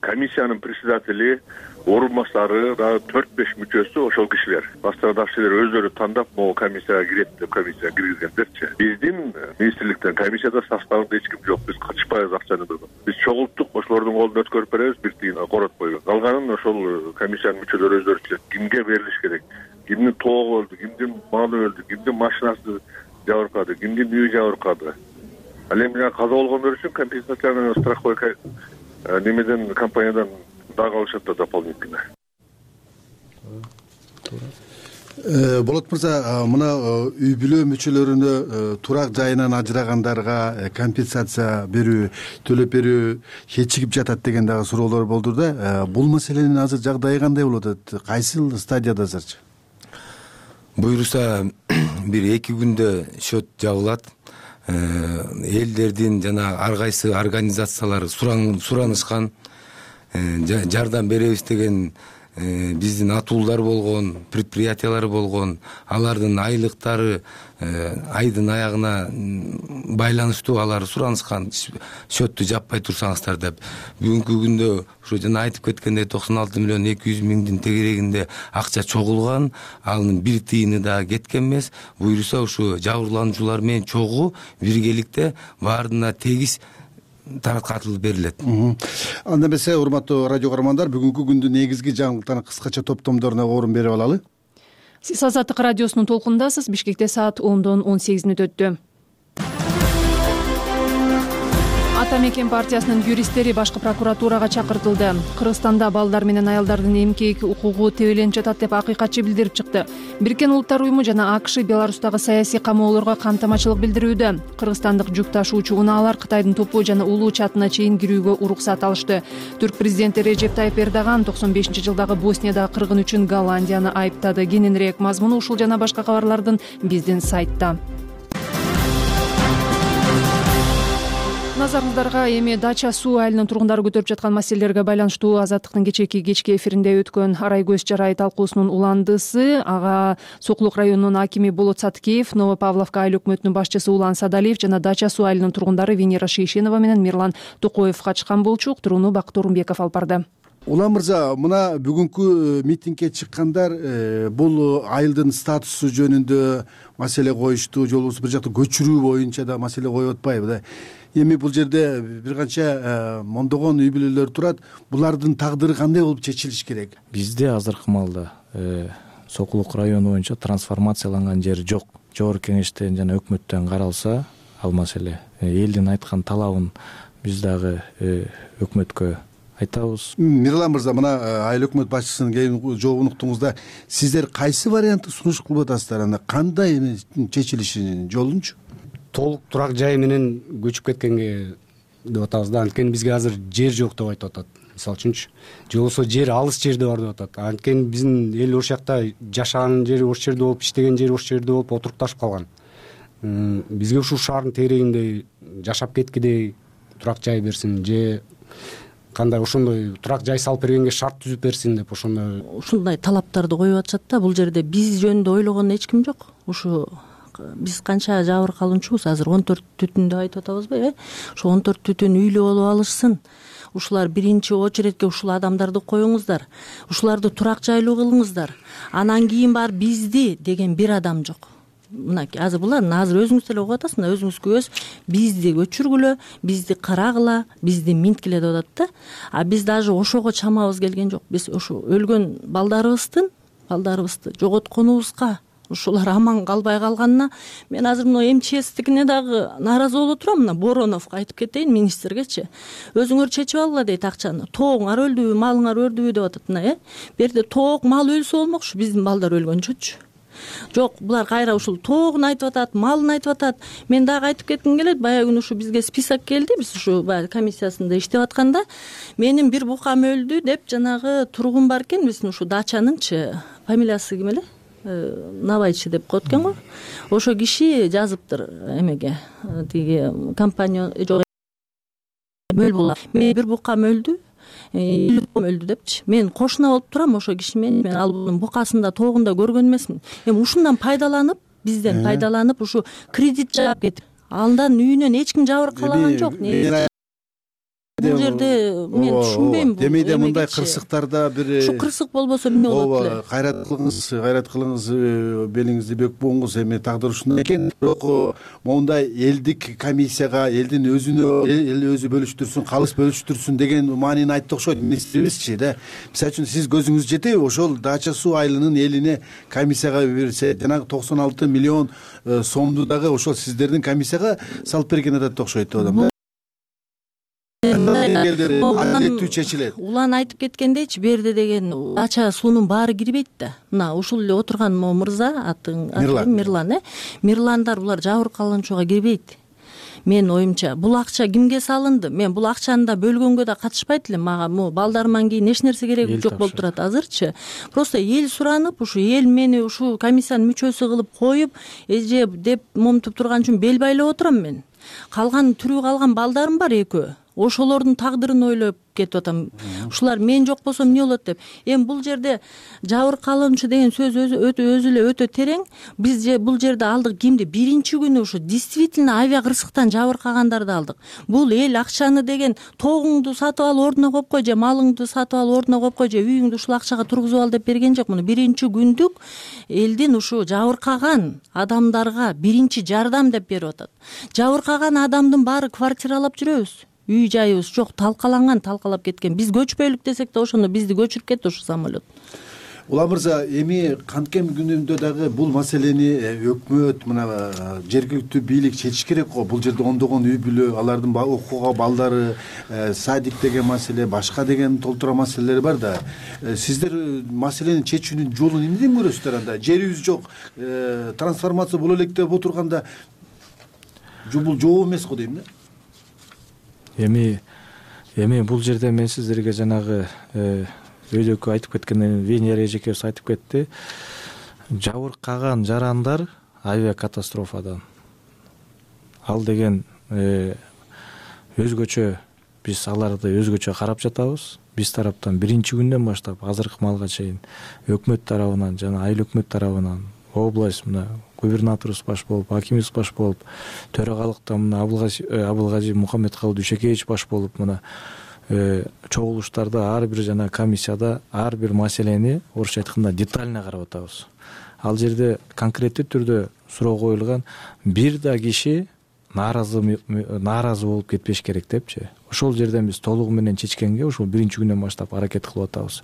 Комиссиянын председатели, орун баштары дагы төрт беш мүчөсү ошол кишилер. Башкадагы кишилер өздөрү тандап могу комиссияга кирет деп комиссияга киргизгендерчи. Биздин министрликтен комиссияда составында эч ким жок. Биз кырчыкпайбыз акчаны бирден. Биз чогулттук, ошолордун колуна өткөрүп беребиз, бир тыйын коротпойбуз. Калганын ошол комиссиянын мүчөлөрү өздөрү чечет. Кимге берилиш керек? Кимдин тоогу өлдү, кимдин малы өлдү, кимдин машинасы жабыркады, кимдин үйү жабыркады. Ал эми каза болгондор үчүн компенсацияны страховой немеден, компаниядан дагы алышат да дополнительно. Болот мырза, мына үй бүлө мүчөлөрүнө турак жайынан ажырагандарга компенсация берүү, төлөп берүү кечигип жатат деген дагы суроолор болду да. Бул маселенин азыр жагдайы кандай болуп атат? Кайсыл стадияда азырчы? Буюрса бир эки күндө счет жабылат. Элдердин жана ар кайсы организациялар суранышкан, жардам беребиз деген биздин атуулдар болгон, предприятиялар болгон, алардын айлыктары айдын аягына байланыштуу алар суранышкан счетту жаппай турсаңыздар деп. Бүгүнкү күндө ошо жана айтып кеткендей токсон алты миллион эки жүз миңдин тегерегинде акча чогулган, анын бир тыйыны да кеткен эмес. Буюрса ушу жабырлануучулар менен чогуу биргеликте баарына тегиз тараткатылып берилет. Анда эмесе, урматтуу радио көрөрмандар, бүгүнкү күндүн негизги жаңылыктарын кыскача топтомдоруна орун берип алалы. Сиз Азаттык радиосунун толкунундасыз. Бишкекте саат ондон он сегиз мүнөт өттү. Ата мекен партиясынын юристтери башкы прокуратурага чакыртылды. Кыргызстанда балдар менен аялдардын эмгек укугу тебеленип жатат деп акыйкатчы билдирип чыкты. Бириккен Улуттар уюму жана АКШ Беларустагы саясий камоолорго кантамачылык билдирүүдө. Кыргызстандык жүк ташуучу унаалар Кытайдын Топу жана Улуу чатына чейин кирүүгө уруксат алышты. Түрк президенти Режеп Тайып Эрдоган токсон бешинчи жылдагы Боснияда кыргын үчүн Голландияны айыптады. Кененирээк мазмуну ушул жана башка кабарлардын биздин сайтта. Назарыңыздарга эми Дача суу айылынын тургундары көтөрүп жаткан маселелерге байланыштуу Азаттыктын кечээки кечки эфиринде өткөн Арай көз жарай талкуусунун уландысы ага Сокулук районунун акими Болот Саткеев, Новопавловка айыл өкмөтүнүн башчысы Улан Садалиев жана Дача суу айылынын тургундары Венера Шейшенова менен Мирлан Токоев катышкан болчу. Уктурууну Бакыт Орунбеков алып барды. Улан мырза, мына бүгүнкү митингге чыккандар бул айылдын статусу жөнүндө маселе коюшту, же болбосо бир жакта көчүрүү боюнча да маселе коюп атпайбы да. Эми бул жерде бир канча мондогон үй бүлөлөр турат. Булардын тагдыры кандай болуп чечилиш керек? Бизде азыркы маалда Сокулук району боюнча трансформацияланган жер жок. Жогорку кеңештен жана өкмөттөн каралса, ал маселе элдин айткан талабын биз дагы өкмөткө айтабыз. Мирлан мырза, мына айыл өкмөт башчысынын келген жообун уктуңузда, сиздер кайсы вариантты сунуш кылып атасыздар? Анда кандай чечилишинин жолунчу? Толук турак жай менен көчүп кеткенге деп атабыз да. Анткени бизге азыр жер жок деп айтып атат. Мисалы үчүнчү, же болбосо жер алыс жерде бар деп атат. Анткени биздин эл ошол жакта жашаган жери ошол жерде болуп, иштеген жери ошол жерде болуп отурукташып калган. Бизге ушул шаардын тегерегинде жашап кеткидей турак жай берсин, же кандай ошондой турак жай салып бергенге шарт түзүп берсин деп ошондой ушундай талаптарды коюп атышат да. Бул жерде биз жөнүндө ойлогон эч ким жок. Ушу биз канча жабыркалуучубуз, азыр он төрт түтүн деп айтып атабызбы, э? Ошо он төрт түтүн үйлүү болуп алышсын. Ушулар биринчи очередке ушул адамдарды коюңуздар. Ушуларды турак жайлуу кылыңыздар. Анан кийин бар бизди деген бир адам жок. Мынакей азыр булар азыр өзүңүз деле угуп атасыз, мына өзүңүз көз бизди көчүргүлө, бизди карагыла, бизди минткиле деп атат да. А биз даже ошого чамабыз келген жок. Биз ошо өлгөн балдарыбыздын, балдарыбызды жоготконубузга, ушулар аман калбай калганына мен азыр мына МЧСтикине дагы нааразы болуп турам. Мына Бороновго айтып кетейин, министргечи. Өзүңөр чечип алгыла дейт акчаны. Тоогуңар өлдүбү, малыңар өлдүбү деп атат мына, э? Берде тоок, мал өлсө болмокчу, биздин балдар өлгөнчөчү. Жок, булар кайра ушул тоогун айтып атат, малын айтып атат. Мен дагы айтып кетким келет. Баягы күнү ушу бизге список келди. Биз ушу баягы комиссиясында иштеп атканда менин бир букам өлдү деп жанагы тургун бар экен. Биздин ушу дачаныңчы фамилиясы ким эле? Навайчы деп коет экен го. Ошо киши жазыптыр эмеге, тиги компания жок. Мен бир букам өлдү, өлдү депчи. Мен кошуна болуп турам ошо киши менен. Мен ал букасында тоогунда көргөн эмесмин. Эми ушундан пайдаланып, бизден пайдаланып ушу кредит жаап кетип, андан үйүнөн эч ким жабыркалаган жок. Бул жерде мен түшүнбөйм. Демейде мындай кырсыктарда бир ушу кырсык болбосо эмне болот эле? Кайрат кылыңыз, кайрат кылыңыз, белиңизди бөк буңуз. Эми тагдыр ушундай экен. Бирок моундай элдик комиссияга, элдин өзүнө эл өзү бөлүштүрсүн, калыс бөлүштүрсүн деген маанини айтты окшойт министрибизчи да. Мисалы үчүн сиз көзүңүз жетеби ошол Дача суу айылынын элине комиссияга берсе, жанагы токсон алты миллион сомду дагы ошол сиздердин комиссияга салып берген атат окшойт деп атам. Улан айтып кеткендейчи, берде деген Дача суунун баары кирбейт да. Мына ушул эле отурган могу мырза, атын Мирлан, э? Мирландар булар жабыркалануучуга кирбейт. Мен оюмча, бул акча кимге салынды? Мен бул акчаны да бөлгөнгө да катышпайт элем. Мага могу балдарыман кийин эч нерсе кереги жок болуп турат азырчы. Просто эл суранып, ушу эл мени ушул комиссиянын мүчөсү кылып коюп, эже деп момтуп турган үчүн бел байлап отурам мен. Калган тирүү калган балдарым бар экөө. ошолордун тагдырын ойлоп кетип атам. Ушулар мен жок болсом эмне болот деп. Эми бул жерде жабыркалануучу деген сөз өзү өзү эле өтө терең. Биз же бул жерде алдык кимди? Биринчи күнү ушу действительно авиа кырсыктан жабыркагандарды алдык. Бул эл акчаны деген тогуңду сатып ал ордуна коюп кой же малыңды сатып ал ордуна коюп кой же үйүңдү ушул акчага тургузуп ал деп берген жок. Муну биринчи күндүк элдин ушу жабыркаган адамдарга биринчи жардам деп берип атат. Жабыркаган адамдын баары квартиралап жүрөбүз. Үй жайыбыз жок, талкаланган, талкалап кеткен. Биз көчпөйлүк десек да ошондо бизди көчүрүп кетти ушу самолет. Улан мырза, эми канткен күнүндө дагы бул маселени өкмөт, мына жергиликтүү бийлик чечиш керек го. Бул жерде ондогон үй бүлө, алардын окууга балдары, садик деген маселе, башка деген толтура маселелер бар да. Сиздер маселени чечүүнүн жолун эмнеден көрөсүздөр анда? Жерибиз жок, трансформация боло элек деп отурганда бул жооп эмес го дейм да. Эми эми бул жерде мен сиздерге жанагы өйдөккө айтып кеткенден Венера эжекебиз айтып кетти. Жабыркаган жарандар авиакатастрофадан. Ал деген өзгөчө биз аларды өзгөчө карап жатабыз. Биз тараптан биринчи күндөн баштап азыркы малга чейин өкмөт тарабынан жана айыл өкмөт тарабынан область мына губернаторубуз баш болуп, акимибиз баш болуп, төрагалыктан мына Абылгажи Мухаммедкалый Дүйшөкеевич баш болуп мына чогулуштарда ар бир жана комиссияда ар бир маселени орусча айтканда детально карап атабыз. Ал жерде конкреттүү түрдө суроо коюлган, бир да киши нааразы нааразы болуп кетпеш керек депчи. Ошол жерден биз толугу менен чечкенге ошол биринчи күндөн баштап аракет кылып атабыз.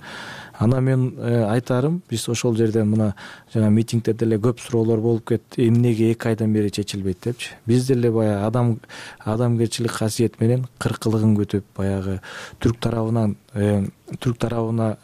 Ана мен айтарым, биз ошол жерден мына жана митингде деле көп суроолор болуп кетти. Эмнеге эки айдан бери чечилбейт депчи. Биз деле баягы адам адамгерчилик касиет менен кыркылыгын күтүп, баягы түрк тарабынан түрк тарабына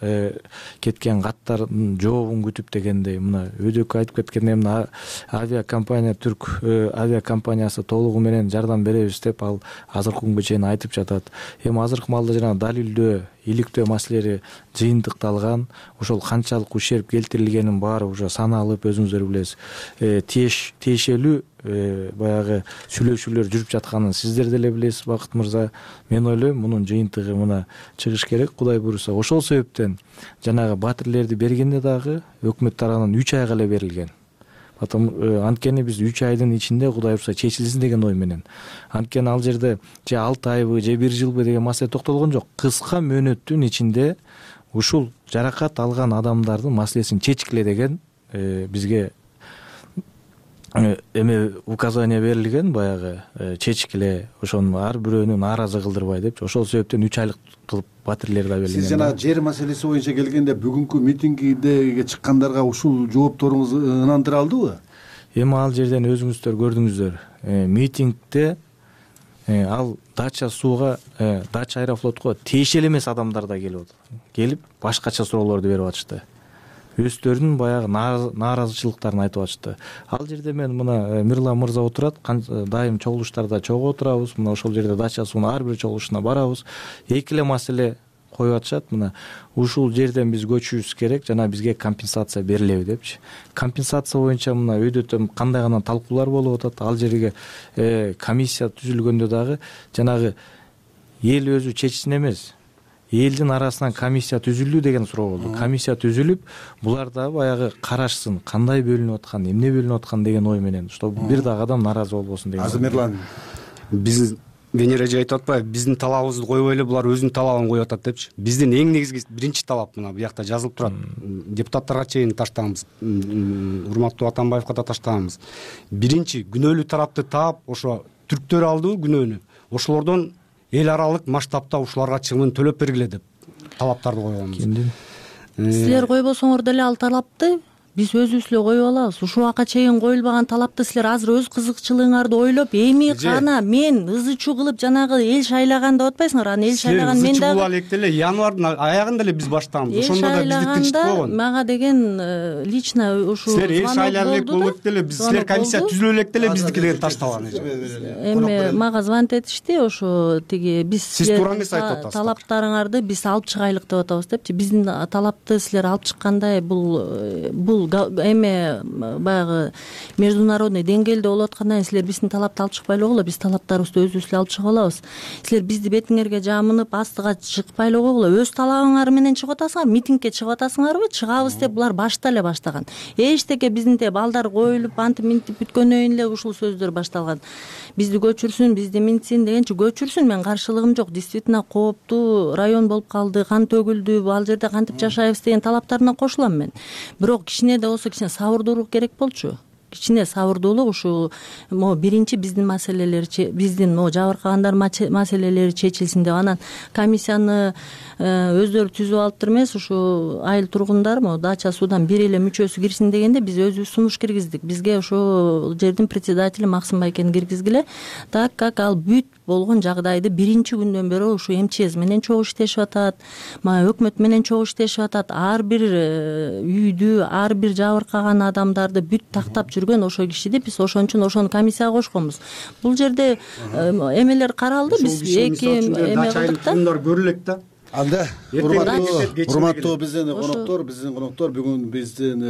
кеткен каттардын жообун күтүп дегендей мына өйдөккө айтып кеткендей мына авиакомпания түрк авиакомпаниясы толугу менен жардам беребиз деп ал азыркы күнгө чейин айтып жатат. Эми азыркы маалда жана далилдөө, иликтөө маселелери жыйынтыкталган, ошол канчалык ущерб келтирилгенин баары уже саналып, өзүңүздөр билесиз. Тиеш тиешелүү баягы сүйлөшүүлөр жүрүп жатканын сиздер деле билесиз, Бакыт мырза. Мен ойлойм, мунун жыйынтыгы мына чыгыш керек, Кудай буйруса. Ошол себептен жанагы батирлерди бергенде дагы өкмөт тарабынан үч айга эле берилген. Потом анткени биз үч айдын ичинде Кудай буйруса чечилсин деген ой менен. Анткени ал жерде же алты айбы, же бир жылбы деген маселе токтолгон жок. Кыска мөөнөттүн ичинде ушул жаракат алган адамдардын маселесин чечкиле деген бизге эме указание берилген, баягы чечкиле, ошону ар бирөөнү нааразы кылдырбай депчи. Ошол себептен үч айлык кылып батирлер да берилген. Сиз жана жер маселеси боюнча келгенде бүгүнкү митингиге чыккандарга ушул жоопторуңуз ынандыра алдыбы? Эми ал жерден өзүңүздөр көрдүңүздөр. Митингде ал дача сууга, дача аэрофлотко тиешелүү эмес адамдар да келип атат. Келип башкача суроолорду берип атышты. Өздөрүнүн баягы нааразычылыктарын айтып атышты. Ал жерде мен мына Мирлан мырза отурат, дайым чогулуштарда чогуу отурабыз. Мына ошол жерде дача суунун ар бир чогулушуна барабыз. Эки эле маселе коюп атышат. Мына ушул жерден биз көчүбүз керек, жана бизге компенсация берилеби депчи. Компенсация боюнча мына өйдө кандай гана талкуулар болуп атат. Ал жерге комиссия түзүлгөндө дагы жанагы эл өзү чечсин эмес, элдин арасынан комиссия түзүлүү деген суроо болду. Комиссия түзүлүп, булар да баягы карашсын, кандай бөлүнүп аткан, эмне бөлүнүп аткан деген ой менен, что бир дагы адам нааразы болбосун деген. Азыр Мирлан, биз Венера эже айтып атпайбы, биздин талабыбызды койбой эле булар өзүнүн талабын коюп атат депчи. Биздин эң негизги биринчи талап мына буякта жазылып турат. Депутаттарга чейин таштаганбыз, урматтуу Атамбаевга да таштаганбыз. Биринчи күнөөлүү тарапты таап, ошо түрктөр алдыбы күнөөнү, ошолордон эл аралык масштабта ушуларга чыгымын төлөп бергиле деп талаптарды койгонбуз. Силер койбосоңор деле ал талапты биз өзүбүз эле коюп алабыз. Ушул убакка чейин коюлбаган талапты силер азыр өз кызыкчылыгыңарды ойлоп, эми кана мен ызы чуу кылып жанагы эл шайлаган деп атпайсыңар? Аны эл шайлаган мен дагы. Силер ызы чуу кыла элек деле январдын аягында эле биз баштаганбыз. Ошондо да бизди тынчтык болгон. Мага деген лично ушул силер эл шайлап элек болуп деле, биз силер комиссия түзүлө элек деле биздики деген ташталган. Эми мага звонить этишти, ошо тиги биз сиз туура эмес айтып атасыз. Талаптарыңарды биз алып чыгайлык деп атабыз депчи. Биздин талапты силер алып чыккандай бул бул эме баягы международный деңгээлде болуп аткандан кийин силер биздин талапты алып чыкпай эле койгула, биз талаптарыбызды өзүбүз эле алып чыгып алабыз. Силер бизди бетиңерге жамынып астыга чыкпай эле койгула, өз талабыңар менен чыгып атасыңар, митингке чыгып атасыңарбы? Чыгабыз деп булар башта эле баштаган. Эчтеке биздинте балдар коюлуп антип минтип бүткөндөн кийин эле ушул сөздөр башталган. Бизди көчүрсүн, бизди минтсин дегенчи, көчүрсүн, мен каршылыгым жок. Действительно кооптуу район болуп калды, кан төгүлдү, ал жерде кантип жашайбыз деген талаптарына кошулам мен. Бирок кичине да болсо кичине сабырдуулук керек болчу. Кичине сабырдуулук, ушул могу биринчи биздин маселелер, биздин могу жабыркагандар маселелери чечилсин деп, анан комиссияны өздөрү түзүп алыптыр эмес, ушу айыл тургундар могу дача суудан бир эле мүчөсү кирсин дегенде биз өзүбүз сунуш киргиздик. Бизге ошол жердин председатели Максым байкени киргизгиле, так как ал бүт болгон жагдайды биринчи күндөн бери ушу МЧС менен чогуу иштешип атат, өкмөт менен чогуу иштешип атат. Ар бир үйдү, ар бир жабыркаган адамдарды бүт тактап жүргөн ошо кишиди биз ошон үчүн ошону комиссияга кошконбуз. Бул жерде эмелер каралды, биз эки эме кылдык да. Көрү элек да. Анда урматтуу биздин коноктор, биздин коноктор бүгүн биздин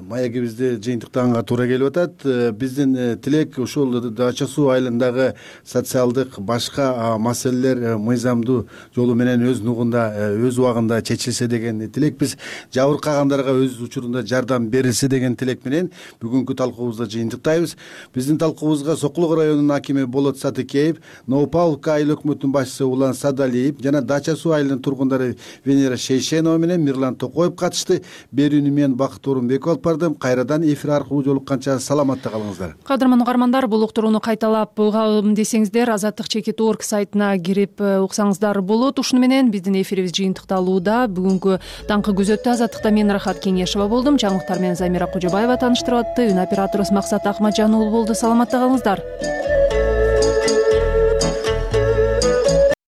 маегибизде жыйынтыктаганга туура келип атат. Биздин тилек ушул Дача суу айылындагы социалдык башка маселелер мыйзамдуу жолу менен өз нугунда, өз убагында чечилсе деген тилекпиз. Жабыркагандарга өз учурунда жардам берилсе деген тилек менен бүгүнкү талкуубузда жыйынтыктайбыз. Биздин талкуубузга Сокулук районунун акими Болот Сатыкеев, Новопавловка айыл өкмөтүнүн башчысы Улан Садалиев жана Дача суу айылынын тургундары Венера Шейшенова менен Мирлан Токоев катышты. Берүүнү мен Бакыт Орунбеков алып бардым. Кайрадан эфир аркылуу жолукканча саламатта калыңыздар. Кадырман угармандар, бул уктурууну кайталап угам десеңиздер азаттык чекит точка орг сайтына кирип уксаңыздар болот. Ушуну менен биздин эфирибиз жыйынтыкталууда. Бүгүнкү таңкы күзөттө азаттыкта мен Рахат Кеңешева болдум. Жаңылыктар менен Замира Кожобаева тааныштырып атты. Үн операторубуз Максат Акматжан уулу болду. Саламатта калыңыздар.